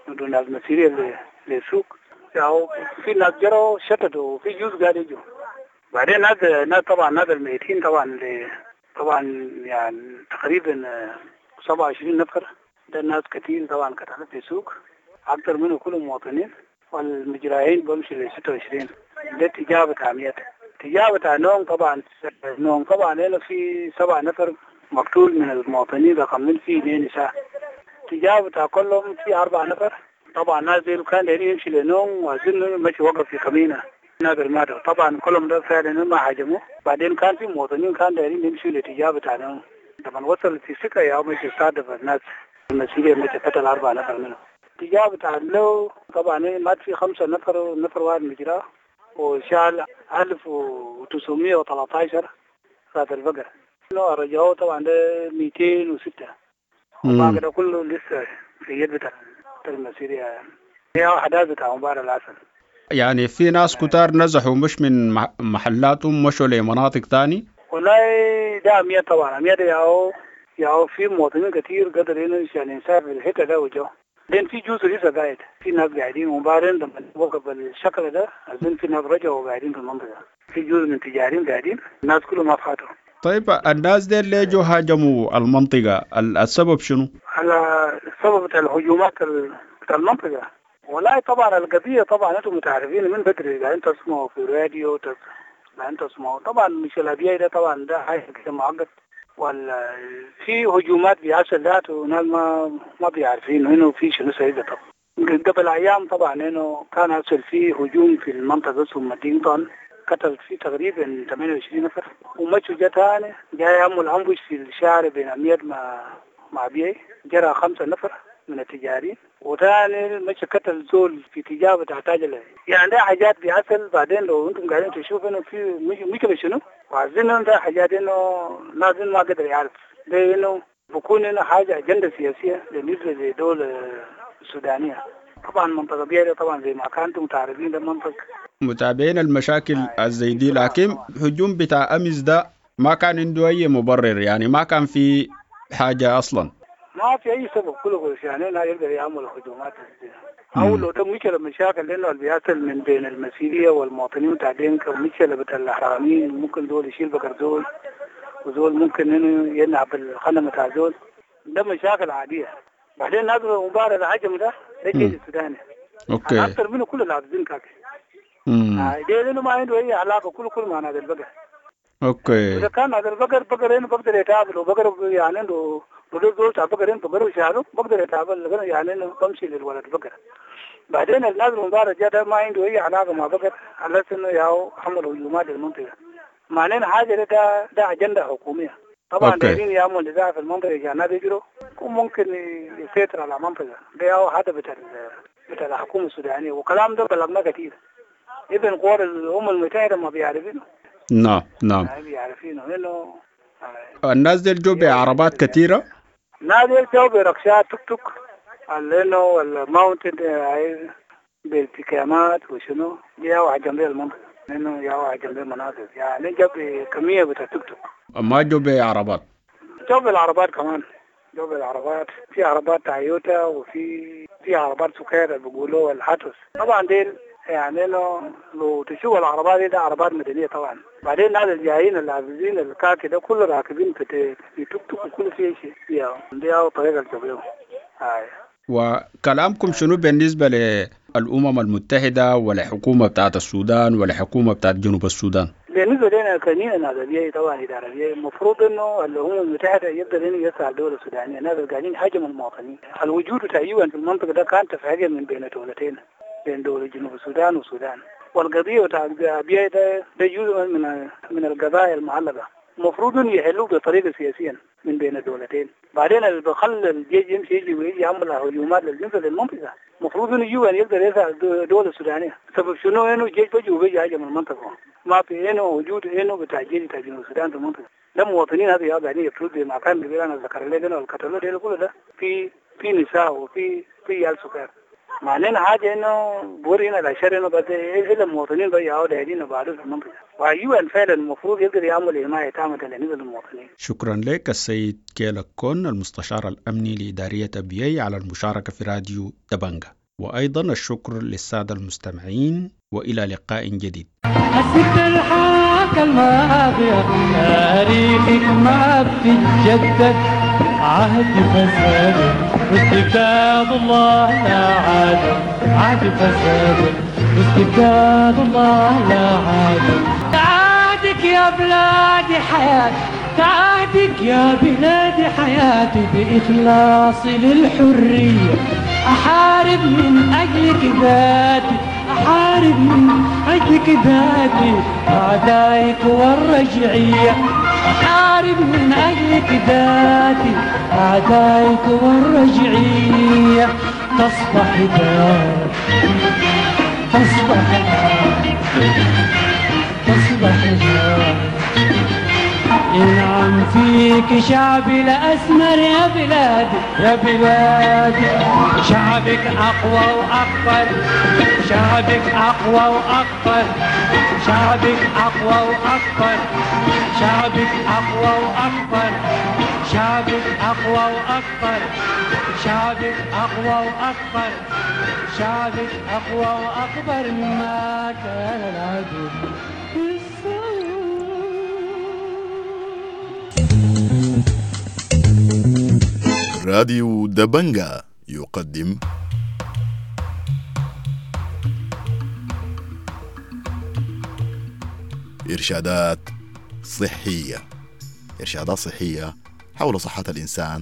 دون ناس مسيرية للسوق يعني في ناس جروا شتتوا وفي جزء قاعد يجوا. بعدين ناس ناس طبعا ناس الميتين طبعا طبعا يعني تقريبا سبعة وعشرين نفر، ده الناس كتير طبعا قتلت في السوق اكثر منه كلهم مواطنين، والمجراحين بمشي ل ستة وعشرين. ده تجاه بتاع ميت تجاه بتاع نوم طبعا نوم طبعا هنا في سبع نفر مقتول من المواطنين رقم في اثنين نساء. تجاه بتاع كلهم في أربع نفر طبعا ناس دي كان دايرين يمشي لنوم وأظن مشي وقف في كمينة نادر ماتوا طبعا كلهم ده فعلا ما هاجموه. بعدين كان في مواطنين كان دايرين يمشوا لتجاه بتاع نوم، طبعا وصل في سكة يا مشي صادف الناس المسيرية مشي قتل أربع نفر منهم. تجاه بتاع لو طبعا مات في خمسة نفر ونفر واحد مجراه وشال ألف وتسعمية وثلاثة عشر راس البقرة، رجعوه طبعا ده مئتين وستة، وبعد ده كله لسه في يد بتاع المسيرية. هي أحداث بتاع مباراة العسل. يعني في ناس كتار نزحوا مش من محلاتهم مشوا لمناطق تاني؟ والله ده أمية طبعا أمية ياو ياو في مواطنين كتير قدر يعني يسافر الحتة ده وجو. لين في جزء لسه قاعد في ناس قاعدين، وبعدين لما وقف الشكل ده أظن في ناس رجعوا قاعدين في المنطقة، في جزء من تجارين قاعدين، الناس كلهم ما فاتوا. طيب الناس دي اللي جو هاجموا المنطقة السبب شنو؟ على السبب بتاع الهجومات بتاع المنطقة. والله طبعا القضية طبعا انتم متعرفين من بدري، قاعدين تسمعوا في الراديو قاعدين تسمعوا طبعا مش الأبيض ده طبعا ده حاجة كده معقد، ولا في هجومات بيحصل ذاته وناس ما ما بيعرفين انه في شنو سيدة. طبعا قبل ايام طبعا انه كان حصل في هجوم في المنطقة اسمه مدينتون، قتل فيه تقريبا ثمانية وعشرين نفر، ومشوا جا تاني جاي يعمل امبوش في الشارع بين امير مع مع بيي جرى خمسة نفر من التجارين، وثاني مشى قتل زول في تجارة بتاع تاجر. يعني ده حاجات بيحصل. بعدين لو انتم قاعدين تشوفوا انه في مشكلة شنو وعايزين ده حاجات انه لازم ما قدر يعرف ده انه بكون انه حاجة اجندة سياسية بالنسبة للدولة السودانية. طبعا منطقة بيئة طبعا زي ما كنتم تعرفين ده منطقة متابعين المشاكل الزي دي، لكن هجوم بتاع امس ده ما كان عنده اي مبرر، يعني ما كان في حاجة اصلا، ما في اي سبب كله يعني لا يقدر يعمل هجومات او لو ده مشكلة مشاكل لانه اللي بيحصل من بين المسيريه والمواطنين بتاع دينكا ومشكلة بتاع الحراميين، ممكن دول يشيل بقر زول وزول ممكن انه ينعب الخنم بتاع زول، ده مشاكل عادية. بعدين نادر مباراة العجم ده ده الجيش السوداني okay اكثر منه كل العابدين كاك ده لانه ما عنده اي علاقة كله كله مع نادر البقر. okay اذا كان نادر البقر بقر انه بقدر يتقابل وبقر يعني عنده بدور زول تاع بقر انه بقر وشعره بقدر يتقابل يعني انه بمشي للولد بقر. بعدين النادر المباراة جا ده ما عنده اي علاقة مع بقر على اساس انه ياو عملوا هجومات للمنطقة. معناه حاجة ده ده اجندة حكومية طبعا دايرين يعملوا نزاع في المنطقة عشان الناس يجروا وممكن يسيطر على المنطقة. ده هو هدف بتاع بتاع الحكومة السودانية، وكلام ده بلغنا كثير. ابن قوار الامم المتحدة ما بيعرفينه. نعم نعم بيعرفينه لانه الناس دي جو بعربات كثيرة. الناس دي جو بركشات توك توك لانه الماونتن بالتكامات وشنو دي هو جنب المنطقة لانه يا جنب المناطق يعني جاب كمية بتاع توك توك. ما جو بعربات؟ جو بالعربات كمان جو بالعربات، في عربات تويوتا وفي في عربات سكير اللي بيقولوا الهاتوس. طبعا ديل يعني لو لو تشوف العربات دي ده عربات مدنية طبعا. بعدين الناس الجايين العابزين الكاكي ده كله راكبين في في توك توك وكل شيء شيء دي أو طريقة الجبيو. هاي وكلامكم شنو بالنسبة للأمم المتحدة والحكومة بتاعت السودان والحكومة بتاعت جنوب السودان؟ بالنسبة لنا كنينة ناس طبعا إدارة المفروض إنه الأمم المتحدة يقدر إنه يسعى الدولة السودانية، الناس قاعدين هاجموا المواطنين. الوجود تقريبا في المنطقة ده كان اتفاقية من بين دولتين، بين دولة جنوب السودان والسودان، والقضية بتاع أبيي ده ده جزء من من القضايا المعلقة، المفروض إنه يحلوه بطريقة سياسية من بين الدولتين. بعدين اللي بخلي الجيش يمشي يجي ويجي يعمل هجومات للجنس للمنطقة، المفروض إنه يجوا أن يقدر يسعى الدولة السودانية. سبب شنو إنه الجيش بيجي وبيجي هاجم المنطقة، ما في إنه وجود إنه بتاع الجيش بتاع جنوب السودان في المنطقة. ده مواطنين هذه قاعدين يقتلوا زي ما كان بيقول أنا ذكر لك إنه القتلوا ده كله ده في في نساء وفي في عيال صغار. معنانا حاجة إنه بورينا الأشياء إنه بس إلا المواطنين بيعوا دايرين بعده في المنطقة، وأيوة فعلا المفروض يقدر يعمل حماية تامة للمواطنين. شكرا لك السيد كيلا كون المستشار الأمني لإدارية أبيي على المشاركة في راديو دبنجة، وأيضا الشكر للسادة المستمعين، وإلى لقاء جديد. الست الحاكة الماضية تاريخك ما بتتجدد، عهد فساد واستبداد الله لا عاد، عهد فساد واستبداد الله لا عاد. تعادك يا بلادي حياتي، تعادك يا بلادي حياتي، بإخلاصي للحرية أحارب من أجلك ذاتي، أحارب من أجلك ذاتي أعدائك والرجعية، أحارب من أجلك ذاتي أعدائك والرجعية. تصبح دار، تصبح دار، تصبح دار. ينعم فيك شعبي الأسمر يا بلادي، يا بلادي شعبك أقوى وأكبر، شعبك أقوى وأكبر، شعبك أقوى وأكبر، شعبك أقوى وأكبر، شعبك أقوى وأكبر، شعبك أقوى وأكبر، شعبك أقوى وأكبر مما كان العدو. راديو دبنجا يقدم إرشادات صحية، إرشادات صحية حول صحة الإنسان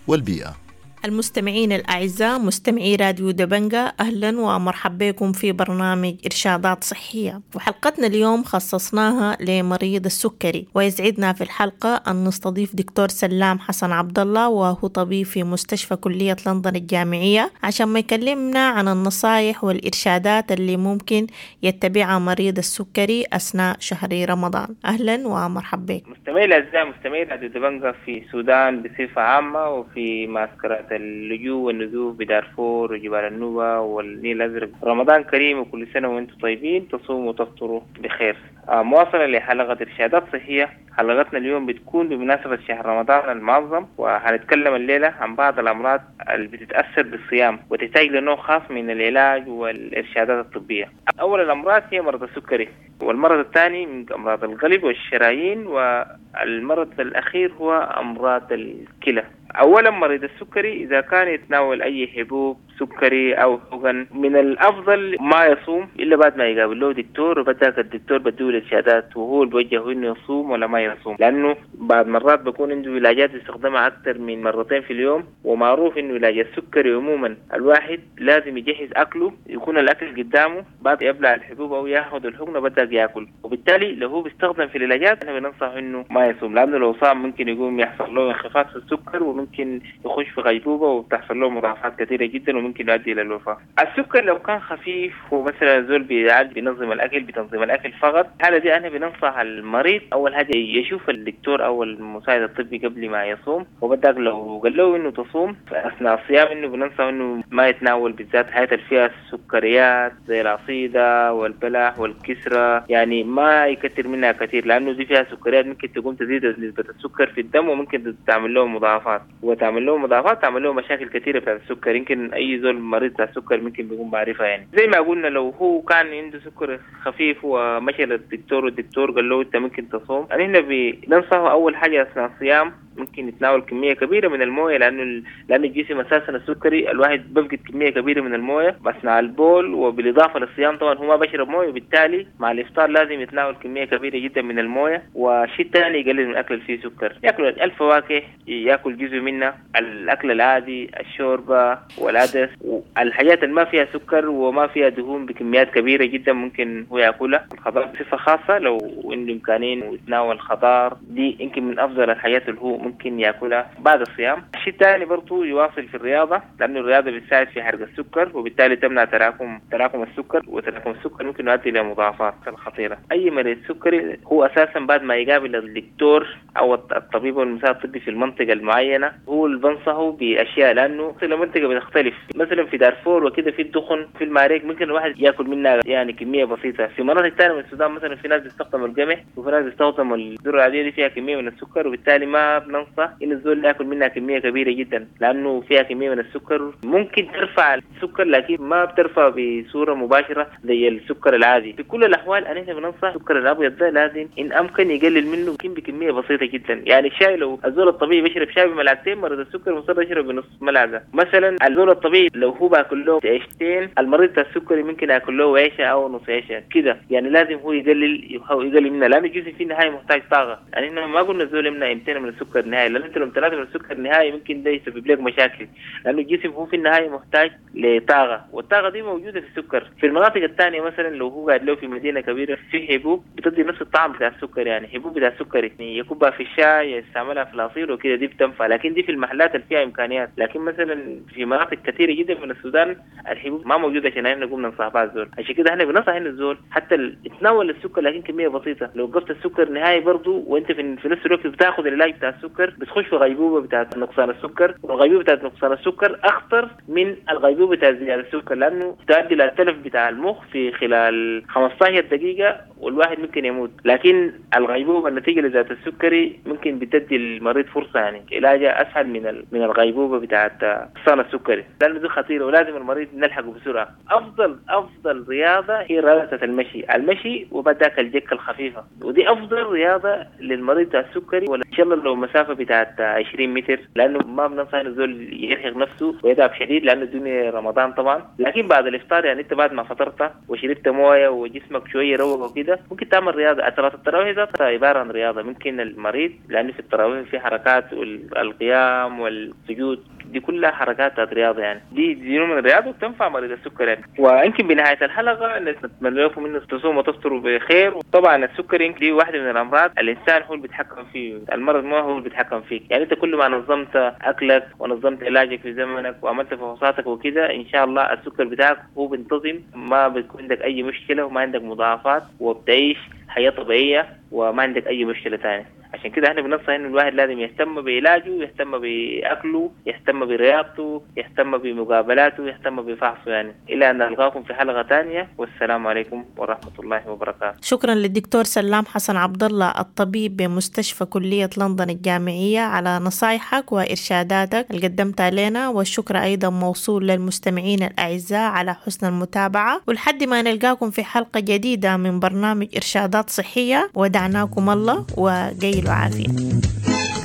والبيئة. المستمعين الأعزاء مستمعي راديو دبنجا، أهلا ومرحبا بكم في برنامج إرشادات صحية، وحلقتنا اليوم خصصناها لمريض السكري، ويسعدنا في الحلقة أن نستضيف دكتور سلام حسن عبد الله، وهو طبيب في مستشفى كلية لندن الجامعية، عشان ما يكلمنا عن النصائح والإرشادات اللي ممكن يتبعها مريض السكري أثناء شهر رمضان. أهلا ومرحبا بك. مستمعي الأعزاء مستمعي راديو دبنجا في السودان بصفة عامة وفي معسكرات اللجوء والنزوح بدارفور وجبال النوبة والنيل الأزرق، رمضان كريم وكل سنة وانتم طيبين، تصوموا وتفطروا بخير. مواصلة لحلقة إرشادات صحية، حلقتنا اليوم بتكون بمناسبة شهر رمضان المعظم، وهنتكلم الليلة عن بعض الأمراض اللي بتتأثر بالصيام وتحتاج لنوع خاص من العلاج والإرشادات الطبية. أول الأمراض هي مرض السكري، والمرض الثاني من أمراض القلب والشرايين، والمرض الأخير هو أمراض الكلى. أولا مريض السكري إذا كان يتناول أي حبوب سكري أو حقن من الأفضل ما يصوم إلا بعد ما يقابل له دكتور، وبدأك الدكتور بديه الإرشادات وهو اللي بيوجهه إنه يصوم ولا ما يصوم، لأنه بعد مرات بيكون عنده علاجات يستخدمها أكثر من مرتين في اليوم، ومعروف إنه علاج السكري عموما الواحد لازم يجهز أكله، يكون الأكل قدامه بعد يبلع الحبوب أو ياخذ الحقنة بدأ ياكل، وبالتالي لو هو بيستخدم في العلاجات أنا بننصح إنه ما يصوم، لأنه لو صام ممكن يقوم يحصل له انخفاض في السكر وممكن يخش في غيبوبة وبتحصل له مضاعفات كثيرة جدا وممكن يؤدي إلى الوفاة. السكر لو كان خفيف ومثلا زول بيعالج بينظم الأكل بتنظيم الأكل فقط، الحالة دي أنا بننصح المريض أول حاجة يشوف الدكتور أو المساعد الطبي قبل ما يصوم، وبدأ لو قال له إنه تصوم أثناء الصيام إنه بننصح إنه ما يتناول بالذات حاجات اللي فيها السكريات زي العصيدة والبلح والكسرة، يعني ما يكثر منها كثير لأنه دي فيها سكريات ممكن تقوم تزيد نسبة السكر في الدم وممكن تعمل له مضاعفات. وتعمل له مضاعفات، تعمل له مشاكل كثيرة بتاعت السكر. يمكن اي زول مريض بتاع السكر ممكن بيكون بعرفها يعني. زي ما قلنا لو هو كان عنده سكر خفيف ومشى للدكتور والدكتور قال له انت ممكن تصوم، احنا بننصحه اول حاجة اثناء الصيام ممكن يتناول كمية كبيرة من المويه، لانه لانه الجسم اساسا السكري الواحد بفقد كمية كبيرة من المويه اثناء البول، وبالاضافة للصيام طبعا هو ما بشرب مويه، وبالتالي مع الافطار لازم يتناول كمية كبيرة جدا من المويه. والشيء الثاني يقلل من الاكل اللي فيه سكر، ياكل الفواكه، ياكل جزء منها، الاكل العادي، الشوربة والعدس والحاجات اللي ما فيها سكر وما فيها دهون بكميات كبيرة جدا ممكن هو ياكلها. الخضار بصفة خاصة لو عنده امكانية يتناول خضار، دي يمكن من افضل الحاجات اللي هو ممكن ياكلها بعد الصيام. الشيء الثاني برضه يواصل في الرياضة، لانه الرياضة بتساعد في حرق السكر وبالتالي تمنع تراكم تراكم السكر، وتراكم السكر ممكن يؤدي الى مضاعفات الخطيرة. اي مريض سكري هو اساسا بعد ما يقابل الدكتور او الطبيب والمساعد الطبي في المنطقة المعينة هو اللي بنصحه باشياء، لانه المنطقة بتختلف. مثلا في دارفور وكده في الدخن في المعارك ممكن الواحد ياكل منها يعني كمية بسيطة. في مناطق ثانية من السودان مثلا في ناس بيستخدموا القمح وفي ناس بيستخدموا الذرة العادية دي فيها كمية من السكر، وبالتالي ما بننصح ان الزول ياكل منها كمية كبيرة جدا لانه فيها كمية من السكر ممكن ترفع السكر، لكن ما بترفع بصورة مباشرة زي السكر العادي. في كل الاحوال انا بننصح السكر الابيض ده لازم ان امكن يقلل منه يمكن بكمية بسيطة جدا. يعني الشاي لو الزول الطبيعي بيشرب شاي بملعقتين، مريض السكر مصر يشرب بنص ملعقة. مثلا الزول الطبيعي لو هو باكل له عيشتين، المريض السكري ممكن ياكل له عيشه او نص عيشه كده، يعني لازم هو يقلل يقلل منها لانه الجسم في النهاية محتاج طاقة. يعني احنا ما قلنا الزول يمنع امتين من السكر نهائي، لان انت لو امتنعت من السكر نهائي ممكن ده يسبب لك مشاكل، لانه الجسم هو في النهاية محتاج لطاقة، والطاقة دي موجودة في السكر. في المناطق الثانية مثلا لو هو قاعد له في مدينة كبيرة في حبوب بتدي نفس الطعم بتاع السكر، يعني حبوب بتاع السكر يعني يكبها في الشاي، يستعملها في العصير وكده، دي بتنفع، لكن دي في المحلات اللي فيها امكانيات. لكن مثلا في مناطق كثيرة جدا من السودان الحبوب ما موجودة عشان احنا نقوم ننصح بها الزول. عشان كده احنا بننصح ان الزول حتى يتناول السكر لكن كمية بسيطة. لو وقفت السكر نهائي برضه وانت في نفس الوقت بتاخذ العلاج بتاع السكر بتخش في غيبوبة بتاعت نقصان السكر، والغيبوبه بتاعت نقصان السكر اخطر من الغيبوبه بتاعت زيادة السكر، لانه تؤدي الى التلف بتاع المخ في خلال خمسة عشر دقيقة والواحد ممكن يموت. لكن الغيبوبه النتيجة لذات السكري ممكن بتدي المريض فرصة، يعني علاجها اسهل من من الغيبوبه بتاعت نقصان السكري، لانه دي خطيرة ولازم المريض نلحقه بسرعة. افضل افضل رياضة هي رياضة المشي، المشي وبعد ذاك الجكه الخفيفة، ودي افضل رياضة للمريض بتاع السكري. ولا ان شاء الله لو مسافة بتاعت عشرين متر، لانه ما بننصح الزول يرهق نفسه ويتعب شديد لانه الدنيا رمضان طبعا. لكن بعد الافطار يعني انت بعد ما فطرت وشربت مويه وجسمك شوية روق وكده ممكن تعمل رياضة. صلاة التراويح ذاتها عبارة عن رياضة، ممكن المريض لانه في التراويح في حركات والقيام والسجود دي كلها حركات رياضة، يعني دي دي نوع من الرياضة وبتنفع مريض السكر يعني. ويمكن بنهاية الحلقة نتمنى لكم انه تصوموا وتفطروا بخير. وطبعا السكر يمكن دي واحدة من الامراض الانسان هو اللي بيتحكم فيه، المرض ما هو اللي بيتحكم فيك. يعني انت كل ما نظمت اكلك ونظمت علاجك في زمنك وعملت فحوصاتك وكده ان شاء الله السكر بتاعك هو بينتظم، ما بيكون عندك اي مشكلة وما عندك مضاعفات وبتعيش حياة طبيعية وما عندك اي مشكلة ثانية. عشان كده احنا بننصح انه الواحد لازم يهتم بعلاجه، يهتم باكله، يهتم برياضته، يهتم بمقابلاته، يهتم بفحصه يعني. الى ان نلقاكم في حلقة ثانية، والسلام عليكم ورحمة الله وبركاته. شكرا للدكتور سلام حسن عبد الله الطبيب بمستشفى كليه لندن الجامعية على نصايحك وارشاداتك اللي قدمتها لنا، والشكر ايضا موصول للمستمعين الاعزاء على حسن المتابعة، ولحد ما نلقاكم في حلقة جديدة من برنامج ارشادات صحية، ودعناكم الله وقيلوا عافية.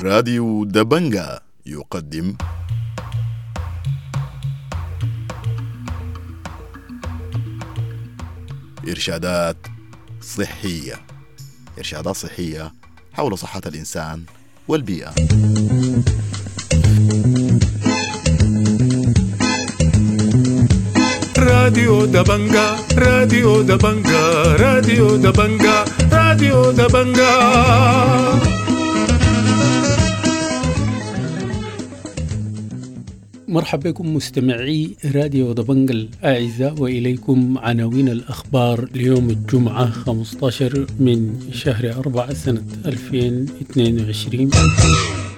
راديو دبنجا يقدم إرشادات صحية، إرشادات صحية حول صحة الإنسان والبيئة. راديو دبنجا، راديو دبنجا، راديو دبنجا، راديو دبنجا. مرحبا بكم مستمعي راديو دبنجا الأعزاء، وإليكم عناوين الأخبار ليوم الجمعة خمسة عشر من شهر أربعة سنة ألفين واثنين وعشرين.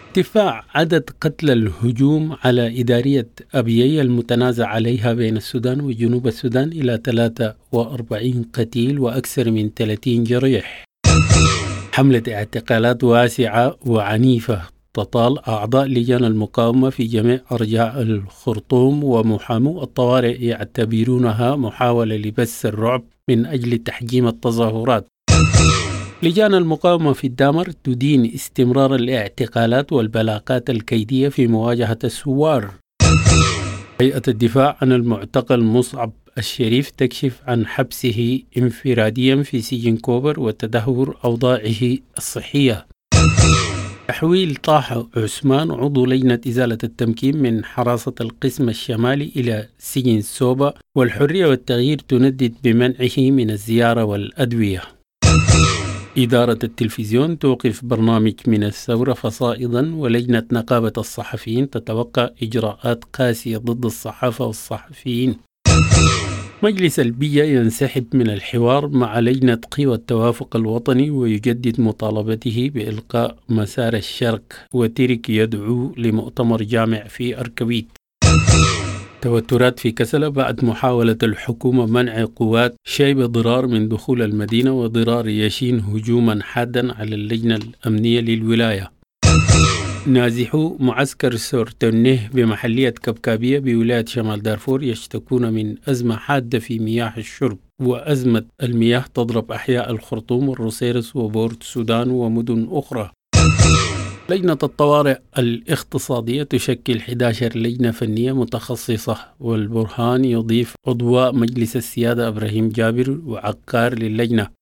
ارتفاع عدد قتلى الهجوم على إدارية أبيي المتنازع عليها بين السودان وجنوب السودان إلى ثلاثة وأربعين قتيل وأكثر من ثلاثين جريح. حملة اعتقالات واسعة وعنيفة تطال أعضاء لجان المقاومة في جميع أرجاء الخرطوم، ومحامو الطوارئ يعتبرونها محاولة لبث الرعب من أجل تحجيم التظاهرات. لجان المقاومة في الدامر تدين استمرار الاعتقالات والبلاغات الكيدية في مواجهة الثوار. هيئة الدفاع عن المعتقل مصعب الشريف تكشف عن حبسه انفراديا في سجن كوبر وتدهور أوضاعه الصحية. تحويل طه عثمان عضو لجنة إزالة التمكين من حراسة القسم الشمالي إلى سجن سوبا، والحرية والتغيير تندد بمنعه من الزيارة والأدوية. إدارة التلفزيون توقف برنامج من الثورة فصائدا، ولجنة نقابة الصحفيين تتوقع إجراءات قاسية ضد الصحافة والصحفيين. مجلس البيئة ينسحب من الحوار مع لجنة قوى التوافق الوطني ويجدد مطالبته بإلقاء مسار الشرق، وترك يدعو لمؤتمر جامع في أركويت. توترات في كسلة بعد محاولة الحكومة منع قوات شيب ضرار من دخول المدينة، وضرار يشين هجوما حادا على اللجنة الأمنية للولاية. نازحو معسكر سورتنه بمحلية كبكابية بولاية شمال دارفور يشتكون من أزمة حادة في مياه الشرب، وأزمة المياه تضرب أحياء الخرطوم والروسيرس وبورت السودان ومدن أخرى. لجنة الطوارئ الاقتصادية تشكل إحدى عشرة لجنة فنية متخصصة، والبرهان يضيف عضو مجلس السيادة إبراهيم جابر وعقار للجنة.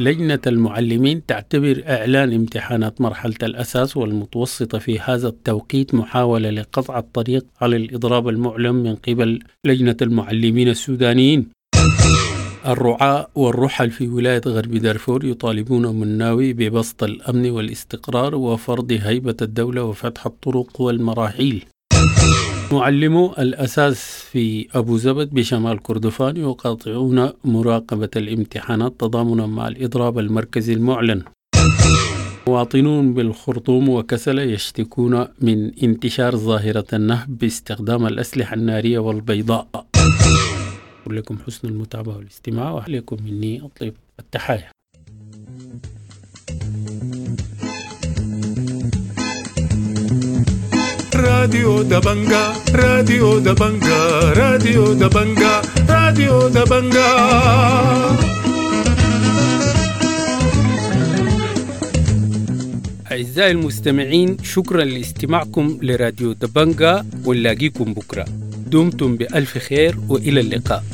لجنة المعلمين تعتبر إعلان امتحانات مرحلة الأساس والمتوسطة في هذا التوقيت محاولة لقطع الطريق على الإضراب المعلن من قبل لجنة المعلمين السودانيين. الرعاة والرحل في ولاية غرب دارفور يطالبون مناوي ببسط الأمن والاستقرار وفرض هيبة الدولة وفتح الطرق والمراحيل. معلمو الأساس في أبو زبد بشمال كردفان يقاطعون مراقبة الامتحانات تضامنا مع الإضراب المركزي المعلن. مواطنون بالخرطوم وكسلة يشتكون من انتشار ظاهرة النهب باستخدام الأسلحة النارية والبيضاء. لكم حسن المتابعة والاستماع، وعليكم مني أطيب التحايا. راديو دبنجا، راديو دبنجا، راديو دبنجا، راديو دبنجا. أعزائي المستمعين، شكرا لاستماعكم لراديو دبنجا، ونلاقيكم بكرة. دمتم بألف خير وإلى اللقاء.